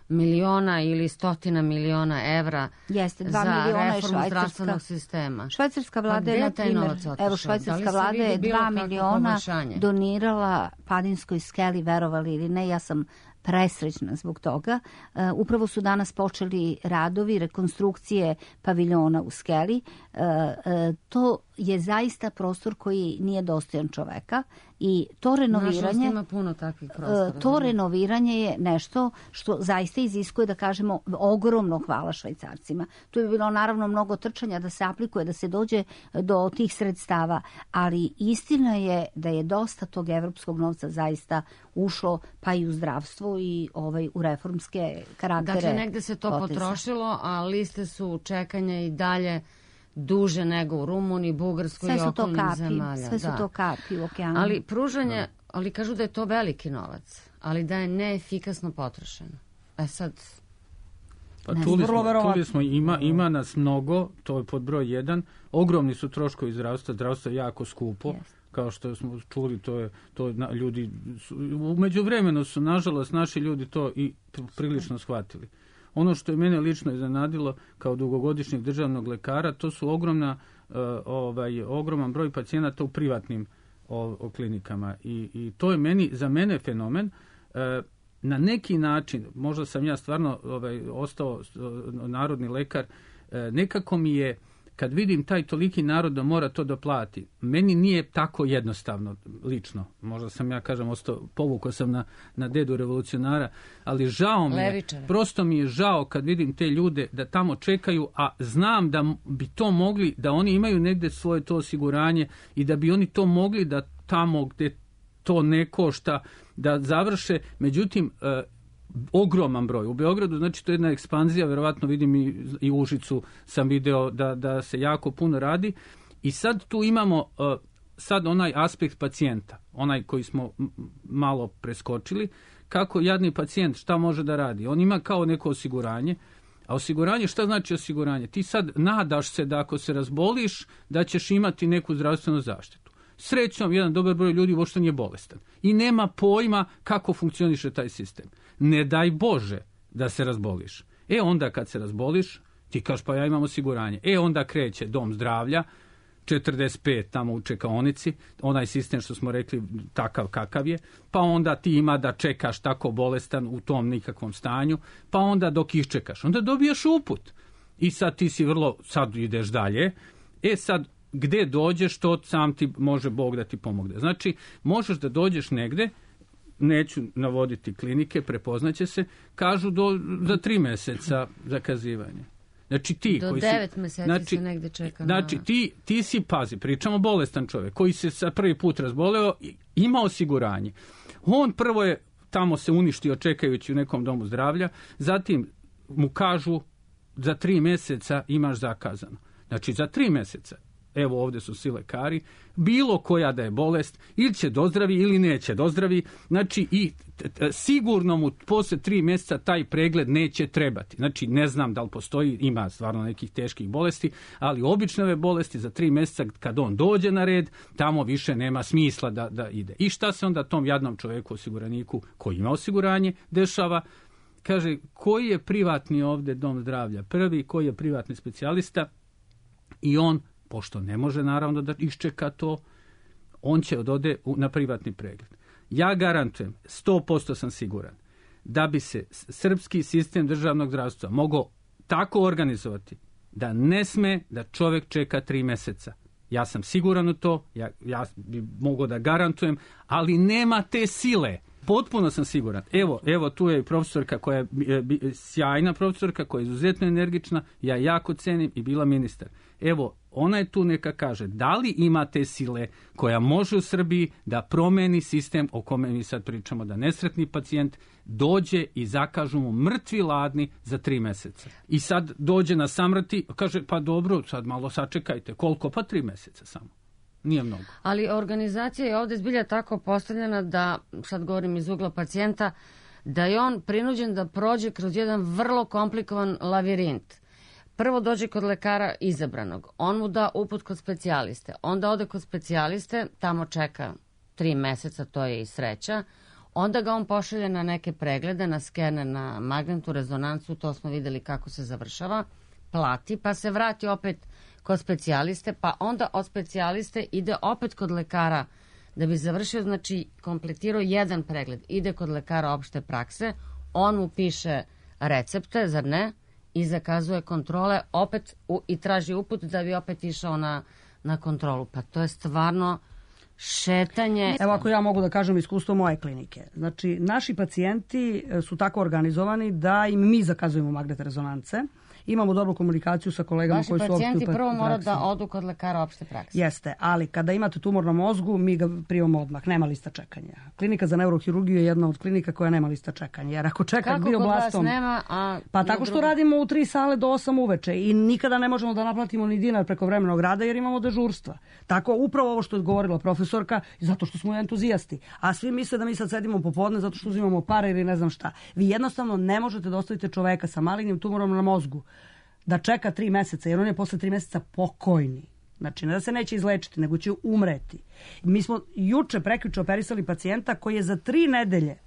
Speaker 3: miliona ili stotina miliona evra
Speaker 4: Jeste, dva
Speaker 3: za
Speaker 4: miliona
Speaker 3: reformu
Speaker 4: je
Speaker 3: zdravstvenog sistema?
Speaker 4: Švajcarska vlada
Speaker 3: Pa
Speaker 4: je,
Speaker 3: gde
Speaker 4: na
Speaker 3: taj
Speaker 4: primjer,
Speaker 3: novac otišao?
Speaker 4: evo švajcarska
Speaker 3: Da li se
Speaker 4: vlada
Speaker 3: vidi
Speaker 4: je
Speaker 3: bilo
Speaker 4: dva
Speaker 3: kakvo
Speaker 4: miliona
Speaker 3: poboljšanje?
Speaker 4: donirala Padinskoj skeli, verovali ili ne, ja sam presrećna zbog toga. Uh, upravo su danas počeli radovi rekonstrukcije paviljona u skeli. Uh, uh, to je zaista prostor koji nije dostojan čoveka i to renoviranje...
Speaker 3: Nažalost ima puno takvih prostora.
Speaker 4: Uh, to renoviranje je nešto što zaista iziskuje, da kažemo, ogromno hvala Švajcarcima. Tu je bilo naravno mnogo trčanja da se aplikuje, da se dođe do tih sredstava, ali istina je da je dosta tog evropskog novca zaista ušlo pa i u zdravstvo i ovaj, u reformske karaktere.
Speaker 3: Dakle, negde se to
Speaker 4: poteza.
Speaker 3: potrošilo, a liste su čekanja i dalje duže nego u Rumuniji, Bugarskoj i okolnim zemalja.
Speaker 4: Sve su
Speaker 3: da.
Speaker 4: to kapi u okeanu.
Speaker 3: Ali pružanje, da. ali kažu da je to veliki novac, ali da je neefikasno potrošeno. E sad...
Speaker 6: Pa čuli smo, čuli smo ima, ima nas mnogo, to je pod broj jedan. Ogromni su troškovi zdravstva, zdravstvo je jako skupo. Yes. Kao što smo čuli, to je to na, ljudi su, u međuvremenu su nažalost naši ljudi to i prilično shvatili. Ono što je mene lično iznenadilo kao dugogodišnjeg državnog lekara, to su ogromna uh, ovaj ogroman broj pacijenata u privatnim o, o klinikama i, i to je meni za mene fenomen. Uh, na neki način, možda sam ja stvarno ovaj ostao uh, narodni lekar, uh, nekako mi je kad vidim taj toliki narod da mora to da plati, meni nije tako jednostavno lično. Možda sam ja, kažem, ostao, povukao sam na, na dedu revolucionara, ali žao mi je,
Speaker 3: Levičare.
Speaker 6: prosto mi je žao kad vidim te ljude da tamo čekaju, a znam da bi to mogli, da oni imaju negde svoje to osiguranje i da bi oni to mogli da tamo gde to ne košta, da završe. Međutim, e, ogroman broj. U Beogradu, znači, to je jedna ekspanzija, verovatno vidim i, i u Užicu sam video da, da se jako puno radi. I sad tu imamo uh, sad onaj aspekt pacijenta, onaj koji smo m- malo preskočili, kako jadni pacijent šta može da radi. On ima kao neko osiguranje, a osiguranje, šta znači osiguranje? Ti sad nadaš se da ako se razboliš, da ćeš imati neku zdravstvenu zaštitu. Srećom, jedan dobar broj ljudi uopšte nije bolestan i nema pojma kako funkcioniše taj sistem. Ne daj Bože da se razboliš. E onda kad se razboliš, ti kažeš pa ja imam osiguranje. E onda kreće dom zdravlja, četrdeset pet tamo u čekaonici, onaj sistem što smo rekli takav kakav je, pa onda ti ima da čekaš tako bolestan u tom nikakvom stanju, pa onda dok iščekaš, onda dobijaš uput. I sad ti si vrlo, sad ideš dalje, e sad gde dođeš, to sam ti može Bog da ti pomogne. Znači, možeš da dođeš negde, neću navoditi klinike, prepoznaće se, kažu do, za tri meseca zakazivanje. Znači ti
Speaker 3: do
Speaker 6: koji
Speaker 3: devet
Speaker 6: si,
Speaker 3: meseci
Speaker 6: znači,
Speaker 3: se negde čeka.
Speaker 6: Znači
Speaker 3: na...
Speaker 6: ti, ti si, pazi, pričamo bolestan čovjek koji se sa prvi put razboleo, ima osiguranje. On prvo je tamo se uništio čekajući u nekom domu zdravlja, zatim mu kažu za tri meseca imaš zakazano. Znači za tri meseca, evo ovdje su svi lekari, bilo koja da je bolest, ili će dozdravi ili neće dozdravi, znači i t, t, sigurno mu posle tri mjeseca taj pregled neće trebati. Znači ne znam da li postoji, ima stvarno nekih teških bolesti, ali obične ove bolesti za tri mjeseca kad on dođe na red, tamo više nema smisla da, da ide. I šta se onda tom jadnom čovjeku, osiguraniku koji ima osiguranje, dešava? Kaže, koji je privatni ovdje dom zdravlja? Prvi, koji je privatni specijalista? I on, pošto ne može naravno da iščeka to, on će odode na privatni pregled. Ja garantujem, sto posto sam siguran, da bi se srpski sistem državnog zdravstva mogao tako organizovati da ne sme da čovjek čeka tri mjeseca. Ja sam siguran u to, ja, ja bi mogao da garantujem, ali nema te sile. Potpuno sam siguran. Evo, evo tu je profesorka koja je sjajna profesorka, koja je izuzetno energična, ja jako cenim i bila ministar. Evo, ona je tu neka kaže, da li ima te sile koja može u Srbiji da promeni sistem o kome mi sad pričamo, da nesretni pacijent dođe i zakažu mu mrtvi ladni za tri mjeseca. I sad dođe na samrti, kaže, pa dobro, sad malo sačekajte, koliko? Pa tri mjeseca samo. Nije mnogo.
Speaker 3: Ali organizacija je ovdje zbilja tako postavljena da, sad govorim iz ugla pacijenta, da je on prinuđen da prođe kroz jedan vrlo komplikovan lavirint. Prvo dođe kod lekara izabranog, on mu da uput kod specijaliste, onda ode kod specijaliste, tamo čeka tri meseca, to je i sreća, onda ga on pošalje na neke preglede, na skene, na magnetnu rezonancu, to smo vidjeli kako se završava, plati, pa se vrati opet kod specijaliste, pa onda od specijaliste ide opet kod lekara da bi završio, znači kompletirao jedan pregled, ide kod lekara opšte prakse, on mu piše recepte, zar ne, i zakazuje kontrole opet u, i traži uput da bi opet išao na, na kontrolu. Pa to je stvarno šetanje.
Speaker 5: Evo ako ja mogu da kažem iskustvo moje klinike. Znači, naši pacijenti su tako organizovani da im mi zakazujemo magnetne rezonance. Imamo dobru komunikaciju sa kolegama
Speaker 3: Vaši
Speaker 5: koji su opšte u praksi.
Speaker 3: pacijenti prvo moraju da odu kod lekara opšte prakse.
Speaker 5: Jeste, ali kada imate tumor na mozgu, mi ga primamo odmah, nema lista čekanja. Klinika za neurohirurgiju je jedna od klinika koja nema lista čekanja, jer ako čekak bioblastom...
Speaker 3: Kako kod vas nema, a...
Speaker 5: Pa tako što radimo u tri sale do osam uveče i nikada ne možemo da naplatimo ni dinar preko vremenog rada jer imamo dežurstva. Tako upravo ovo što je govorila profesorka, zato što smo entuzijasti. A svi misle da mi sad sedimo popodne zato što uzimamo pare ili ne znam šta. Vi jednostavno ne možete da ostavite čoveka sa malignim tumorom na mozgu da čeka tri meseca, jer on je posle tri meseca pokojni. Znači, ne da se neće izlečiti, nego će umreti. Mi smo juče, prekjuče operisali pacijenta koji je za tri nedelje,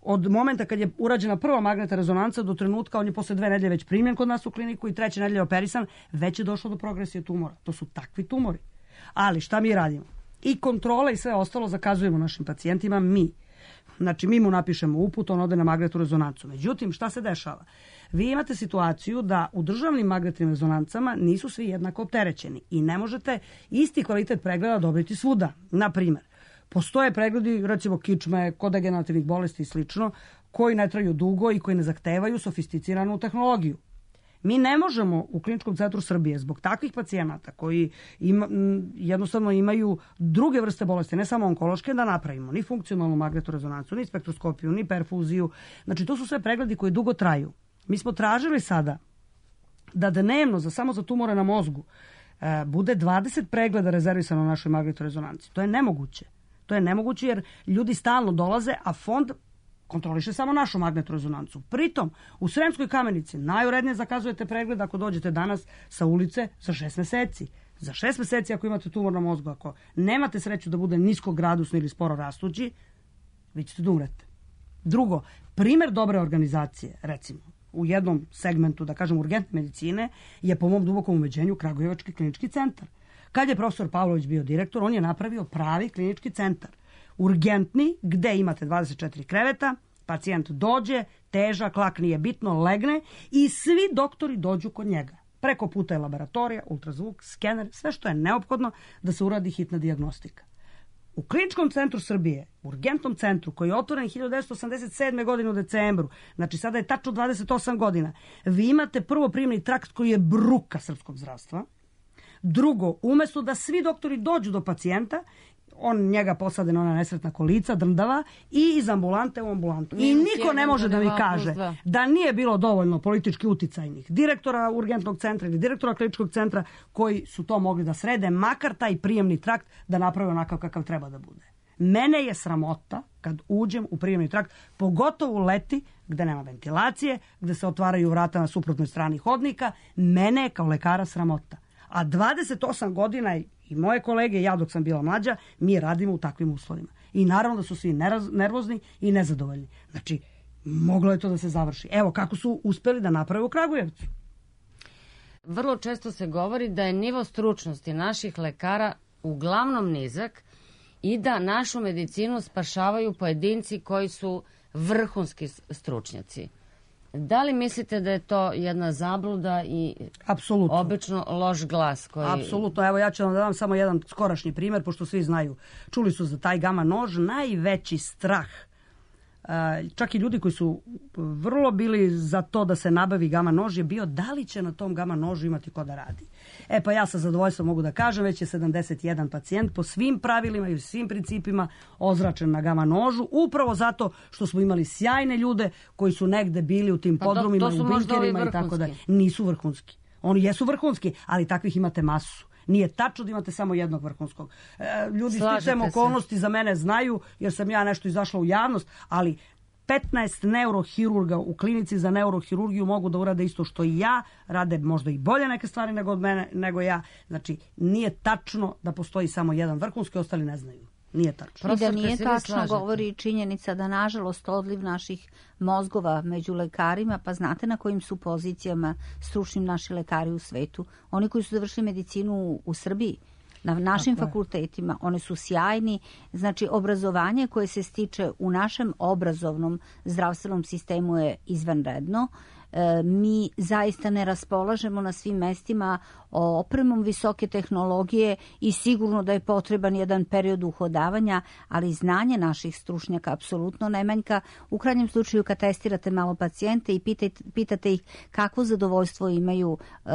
Speaker 5: od momenta kad je urađena prva magnetna rezonanca do trenutka, on je posle dve nedelje već primljen kod nas u kliniku i treće nedelje operisan, već je došlo do progresije tumora. To su takvi tumori. Ali šta mi radimo? I kontrole i sve ostalo zakazujemo našim pacijentima mi. Znači, mi mu napišemo uput, on ode na magnetnu rezonancu. Međutim, šta se dešava? Vi imate situaciju da u državnim magnetnim rezonancama nisu svi jednako opterećeni i ne možete isti kvalitet pregleda dobiti svuda. Na primjer, postoje pregledi, recimo kičme, kod degenerativnih bolesti i slično, koji ne traju dugo i koji ne zahtevaju sofisticiranu tehnologiju. Mi ne možemo u Kliničkom centru Srbije zbog takvih pacijenata koji ima, jednostavno imaju druge vrste bolesti, ne samo onkološke, da napravimo ni funkcionalnu magnetnu rezonancu, ni spektroskopiju, ni perfuziju. Znači, to su sve pregledi koji dugo traju. Mi smo tražili sada da dnevno, za, samo za tumore na mozgu, e, bude dvadeset pregleda rezervisano na našoj magnetnoj rezonanci. To je nemoguće. To je nemoguće jer ljudi stalno dolaze, a fond kontroliše samo našu magnetnu rezonancu. Pritom, u Sremskoj Kamenici najurednije zakazujete pregled ako dođete danas sa ulice za šest meseci. Za šest meseci ako imate tumor na mozgu, ako nemate sreću da bude niskogradusni ili sporo rastući, vi ćete da umrete. Drugo, primer dobre organizacije, recimo, u jednom segmentu, da kažem, urgentne medicine, je po mom dubokom ubeđenju Kragujevački klinički centar. Kad je profesor Pavlović bio direktor, on je napravio pravi klinički centar. Urgentni, gde imate dvadeset četiri kreveta, pacijent dođe, težak, lak, nije bitno, legne i svi doktori dođu kod njega. Preko puta je laboratorija, ultrazvuk, skener, sve što je neophodno da se uradi hitna dijagnostika. U Kliničkom centru Srbije, u urgentnom centru koji je otvoren hiljadu devetsto osamdeset sedme. godine u decembru, znači sada je tačno dvadeset osam godina, vi imate prvo primljeni trakt koji je bruka srpskog zdravstva. Drugo, umesto da svi doktori dođu do pacijenta, on njega posade na ona nesretna kolica, drndava, i iz ambulante u ambulantu. I niko ne može da mi kaže da nije bilo dovoljno politički uticajnih direktora urgentnog centra ili direktora kliničkog centra koji su to mogli da srede, makar taj prijemni trakt da naprave onakav kakav treba da bude. Mene je sramota kad uđem u prijemni trakt, pogotovo leti gde nema ventilacije, gde se otvaraju vrata na suprotnoj strani hodnika, mene je kao lekara sramota. A dvadeset osam godina i moje kolege, ja dok sam bila mlađa, mi radimo u takvim uslovima. I naravno da su svi nervozni i nezadovoljni. Znači, moglo je to da se završi. Evo kako su uspeli da naprave u Kragujevcu.
Speaker 3: Vrlo često se govori da je nivo stručnosti naših lekara uglavnom nizak i da našu medicinu spašavaju pojedinci koji su vrhunski stručnjaci. Da li mislite da je to jedna zabluda i
Speaker 5: Apsolutno.
Speaker 3: Obično loš glas? Koji...
Speaker 5: Apsolutno. Evo ja ću vam da dam samo jedan skorašnji primjer, pošto svi znaju, čuli su za taj gama nož, najveći strah. Čak i ljudi koji su vrlo bili za to da se nabavi gama nož je bio da li će na tom gama nožu imati ko da radi. E pa ja sa zadovoljstvom mogu da kažem, već je sedamdeset jedan pacijent po svim pravilima i svim principima ozračen na gama nožu, upravo zato što smo imali sjajne ljude koji su negde bili u tim podrumima, u bunkerima i tako da. Nisu vrhunski. Oni jesu vrhunski, ali takvih imate masu. Nije tačno da imate samo jednog vrhunskog. E, ljudi sticajem okolnosti za mene znaju, jer sam ja nešto izašla u javnost, ali petnaest neurohirurga u klinici za neurohirurgiju mogu da urade isto što i ja, rade možda i bolje neke stvari nego od mene, nego ja. Znači, nije tačno da postoji samo jedan vrhunski, ostali ne znaju. Nije tačno.
Speaker 4: I da nije tačno govori činjenica da nažalost odliv naših mozgova među lekarima, pa znate na kojim su pozicijama stručnim naši lekari u svetu. Oni koji su završili medicinu u Srbiji, na našim fakultetima, one su sjajni. Znači, obrazovanje koje se stiče u našem obrazovnom zdravstvenom sistemu je izvanredno. Mi zaista ne raspolažemo na svim mestima opremom visoke tehnologije i sigurno da je potreban jedan period uhodavanja, ali znanje naših stručnjaka apsolutno ne manjka. U krajnjem slučaju kad testirate malo pacijente i pitate, pitate ih kakvo zadovoljstvo imaju uh,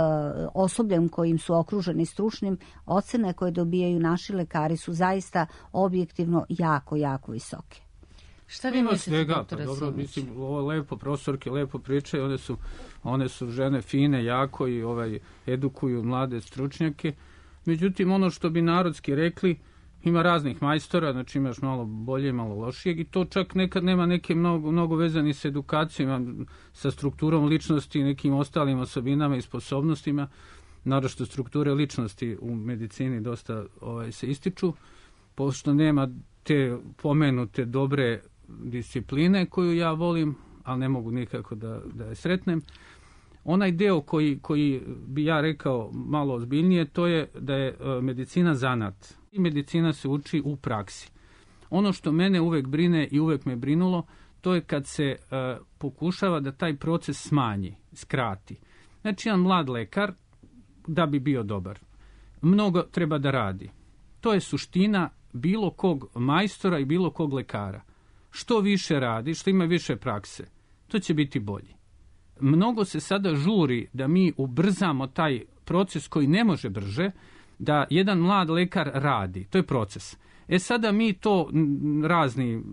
Speaker 4: osobljem kojim su okruženi stručnim, ocene koje dobijaju naši lekari su zaista objektivno jako, jako visoke.
Speaker 3: Šta vi mislite, doktore
Speaker 6: Dobro,
Speaker 3: Simić?
Speaker 6: mislim, ovo lepo, profesorke lepo pričaju, one su, one su žene fine, jako i ovaj, edukuju mlade stručnjake. Međutim, ono što bi narodski rekli, ima raznih majstora, znači imaš malo bolje i malo lošijeg i to čak nekad nema neke mnogo, mnogo vezani s edukacijom, sa strukturom ličnosti i nekim ostalim osobinama i sposobnostima. Naročito strukture ličnosti u medicini dosta ovaj, se ističu, pošto nema te pomenute dobre discipline koju ja volim, ali ne mogu nikako da, da je sretnem. Onaj deo koji, koji bi ja rekao malo ozbiljnije, to je da je medicina zanat. I medicina se uči u praksi. Ono što mene uvek brine i uvek me brinulo, to je kad se uh, pokušava da taj proces smanji, skrati. Znači, jedan mlad lekar, da bi bio dobar, mnogo treba da radi. To je suština bilo kog majstora i bilo kog lekara. Što više radi, što ima više prakse, to će biti bolji. Mnogo se sada žuri da mi ubrzamo taj proces koji ne može brže, da jedan mlad lekar radi. To je proces. E sada mi to razni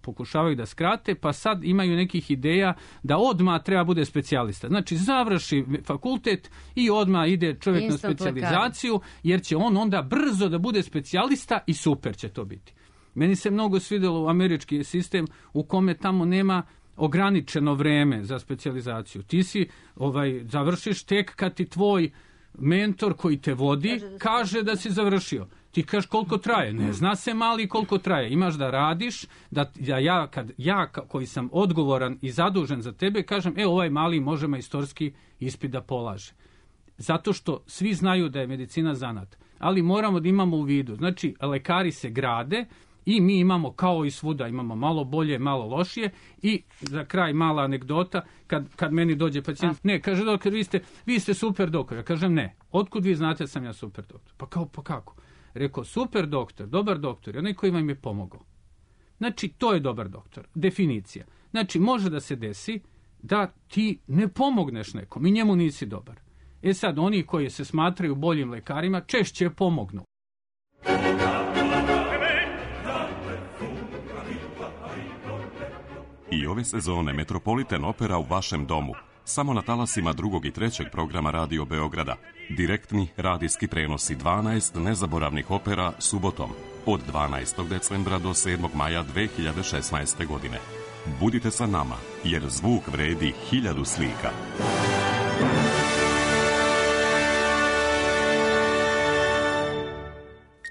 Speaker 6: pokušavaju da skrate, pa sad imaju nekih ideja da odmah treba bude specijalista. Znači završi fakultet i odmah ide čovjek Instant na specijalizaciju, lekar. Jer će on onda brzo da bude specijalista i super će to biti. Meni se mnogo svidjelo u američki sistem u kome tamo nema ograničeno vreme za specijalizaciju. Ti si ovaj završiš tek kad ti tvoj mentor koji te vodi kaže da, kaže da si završio. Ti kažeš koliko traje, ne zna se mali koliko traje, imaš da radiš, da, da ja, kad ja koji sam odgovoran i zadužen za tebe, kažem, e ovaj mali može majstorski ispit da polaže. Zato što svi znaju da je medicina zanat. ali moramo da imamo u vidu. Znači, lekari se grade i mi imamo, kao i svuda, imamo malo bolje, malo lošije. I za kraj mala anegdota, kad, kad meni dođe pacijent, ne, kaže doktor, vi ste, vi ste super doktor. Ja kažem ne, otkud vi znate da sam ja super doktor? Pa kao, pa kako? Rekao, super doktor, dobar doktor, onaj koji vam je pomogao. Znači, to je dobar doktor, definicija. Znači, može da se desi da ti ne pomogneš nekom i njemu nisi dobar. E sad, oni koji se smatraju boljim lekarima češće pomognu.
Speaker 15: I ove sezone Metropolitan Opera u vašem domu. Samo na talasima drugog i trećeg programa Radio Beograda. Direktni radijski prenosi dvanaest nezaboravnih opera subotom od dvanaestog decembra do sedmog maja dve hiljade šesnaeste. godine. Budite sa nama, jer zvuk vredi hiljadu slika.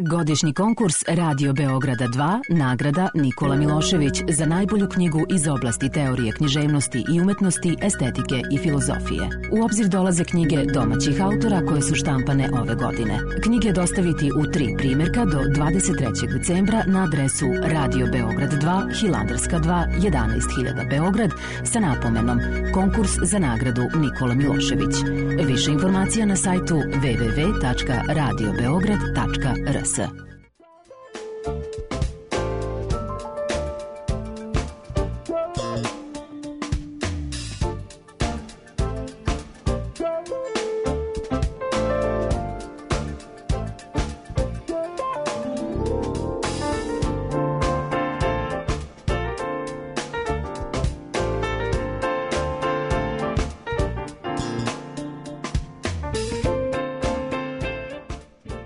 Speaker 11: Godišnji konkurs Radio Beograda dva, nagrada Nikola Milošević za najbolju knjigu iz oblasti teorije književnosti i umetnosti, estetike i filozofije. U obzir dolaze knjige domaćih autora koje su štampane ove godine. Knjige dostaviti u tri primjerka do dvadeset trećeg decembra na adresu Radio Beograd dva, Hilandarska dva, jedanaest hiljada Beograd sa napomenom Konkurs za nagradu Nikola Milošević. Više informacija na sajtu w w w tačka radio beograd tačka r s.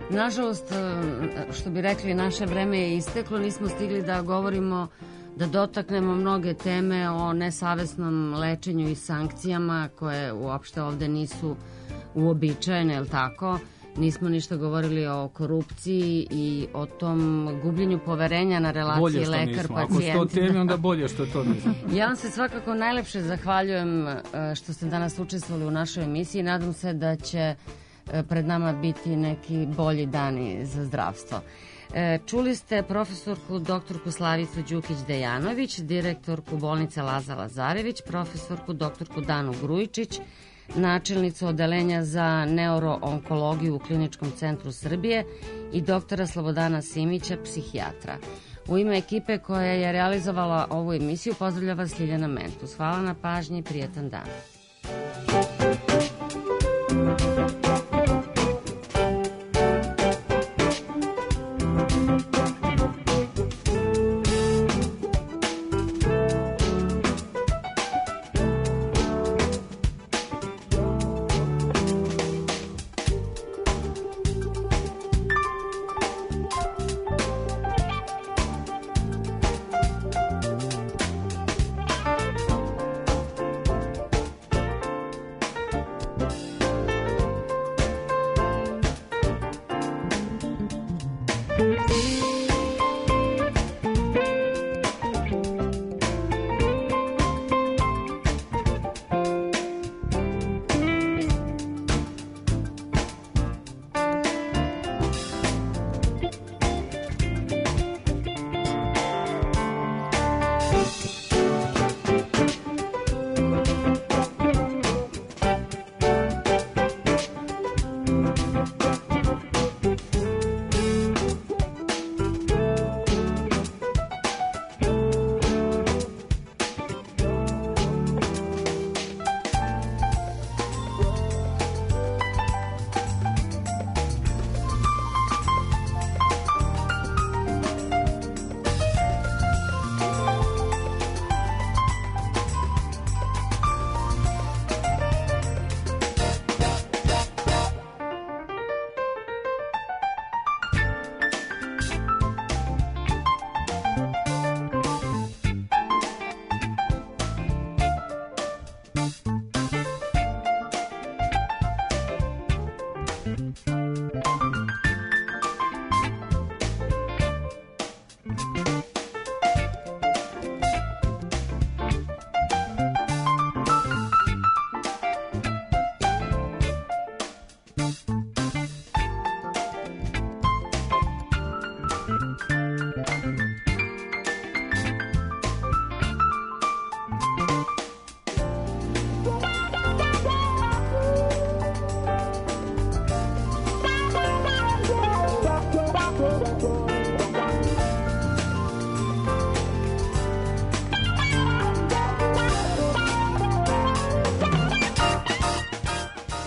Speaker 3: Nažalost, što bi rekli, naše vreme je isteklo, nismo stigli da govorimo, da dotaknemo mnoge teme o nesavesnom lečenju i sankcijama koje uopšte ovde nisu uobičajene, jel tako? Nismo ništa govorili o korupciji i o tom gubljenju poverenja na relaciji lekar-pacijent.
Speaker 6: Ako sto teme, onda bolje što to nismo.
Speaker 3: Ja vam se svakako najlepše zahvaljujem što ste danas učestvovali u našoj emisiji. Nadam se da će pred nama biti neki bolji dani za zdravstvo. Čuli ste profesorku doktorku Slavicu Đukić-Dejanović, direktorku bolnice Laza Lazarević, profesorku doktorku Danu Grujičić, načelnicu odeljenja za neuroonkologiju u Kliničkom centru Srbije i doktora Slobodana Simića, psihijatra. U ime ekipe koja je realizovala ovu emisiju pozdravlja vas Ljiljana Mentus. Hvala na pažnji i prijetan dan.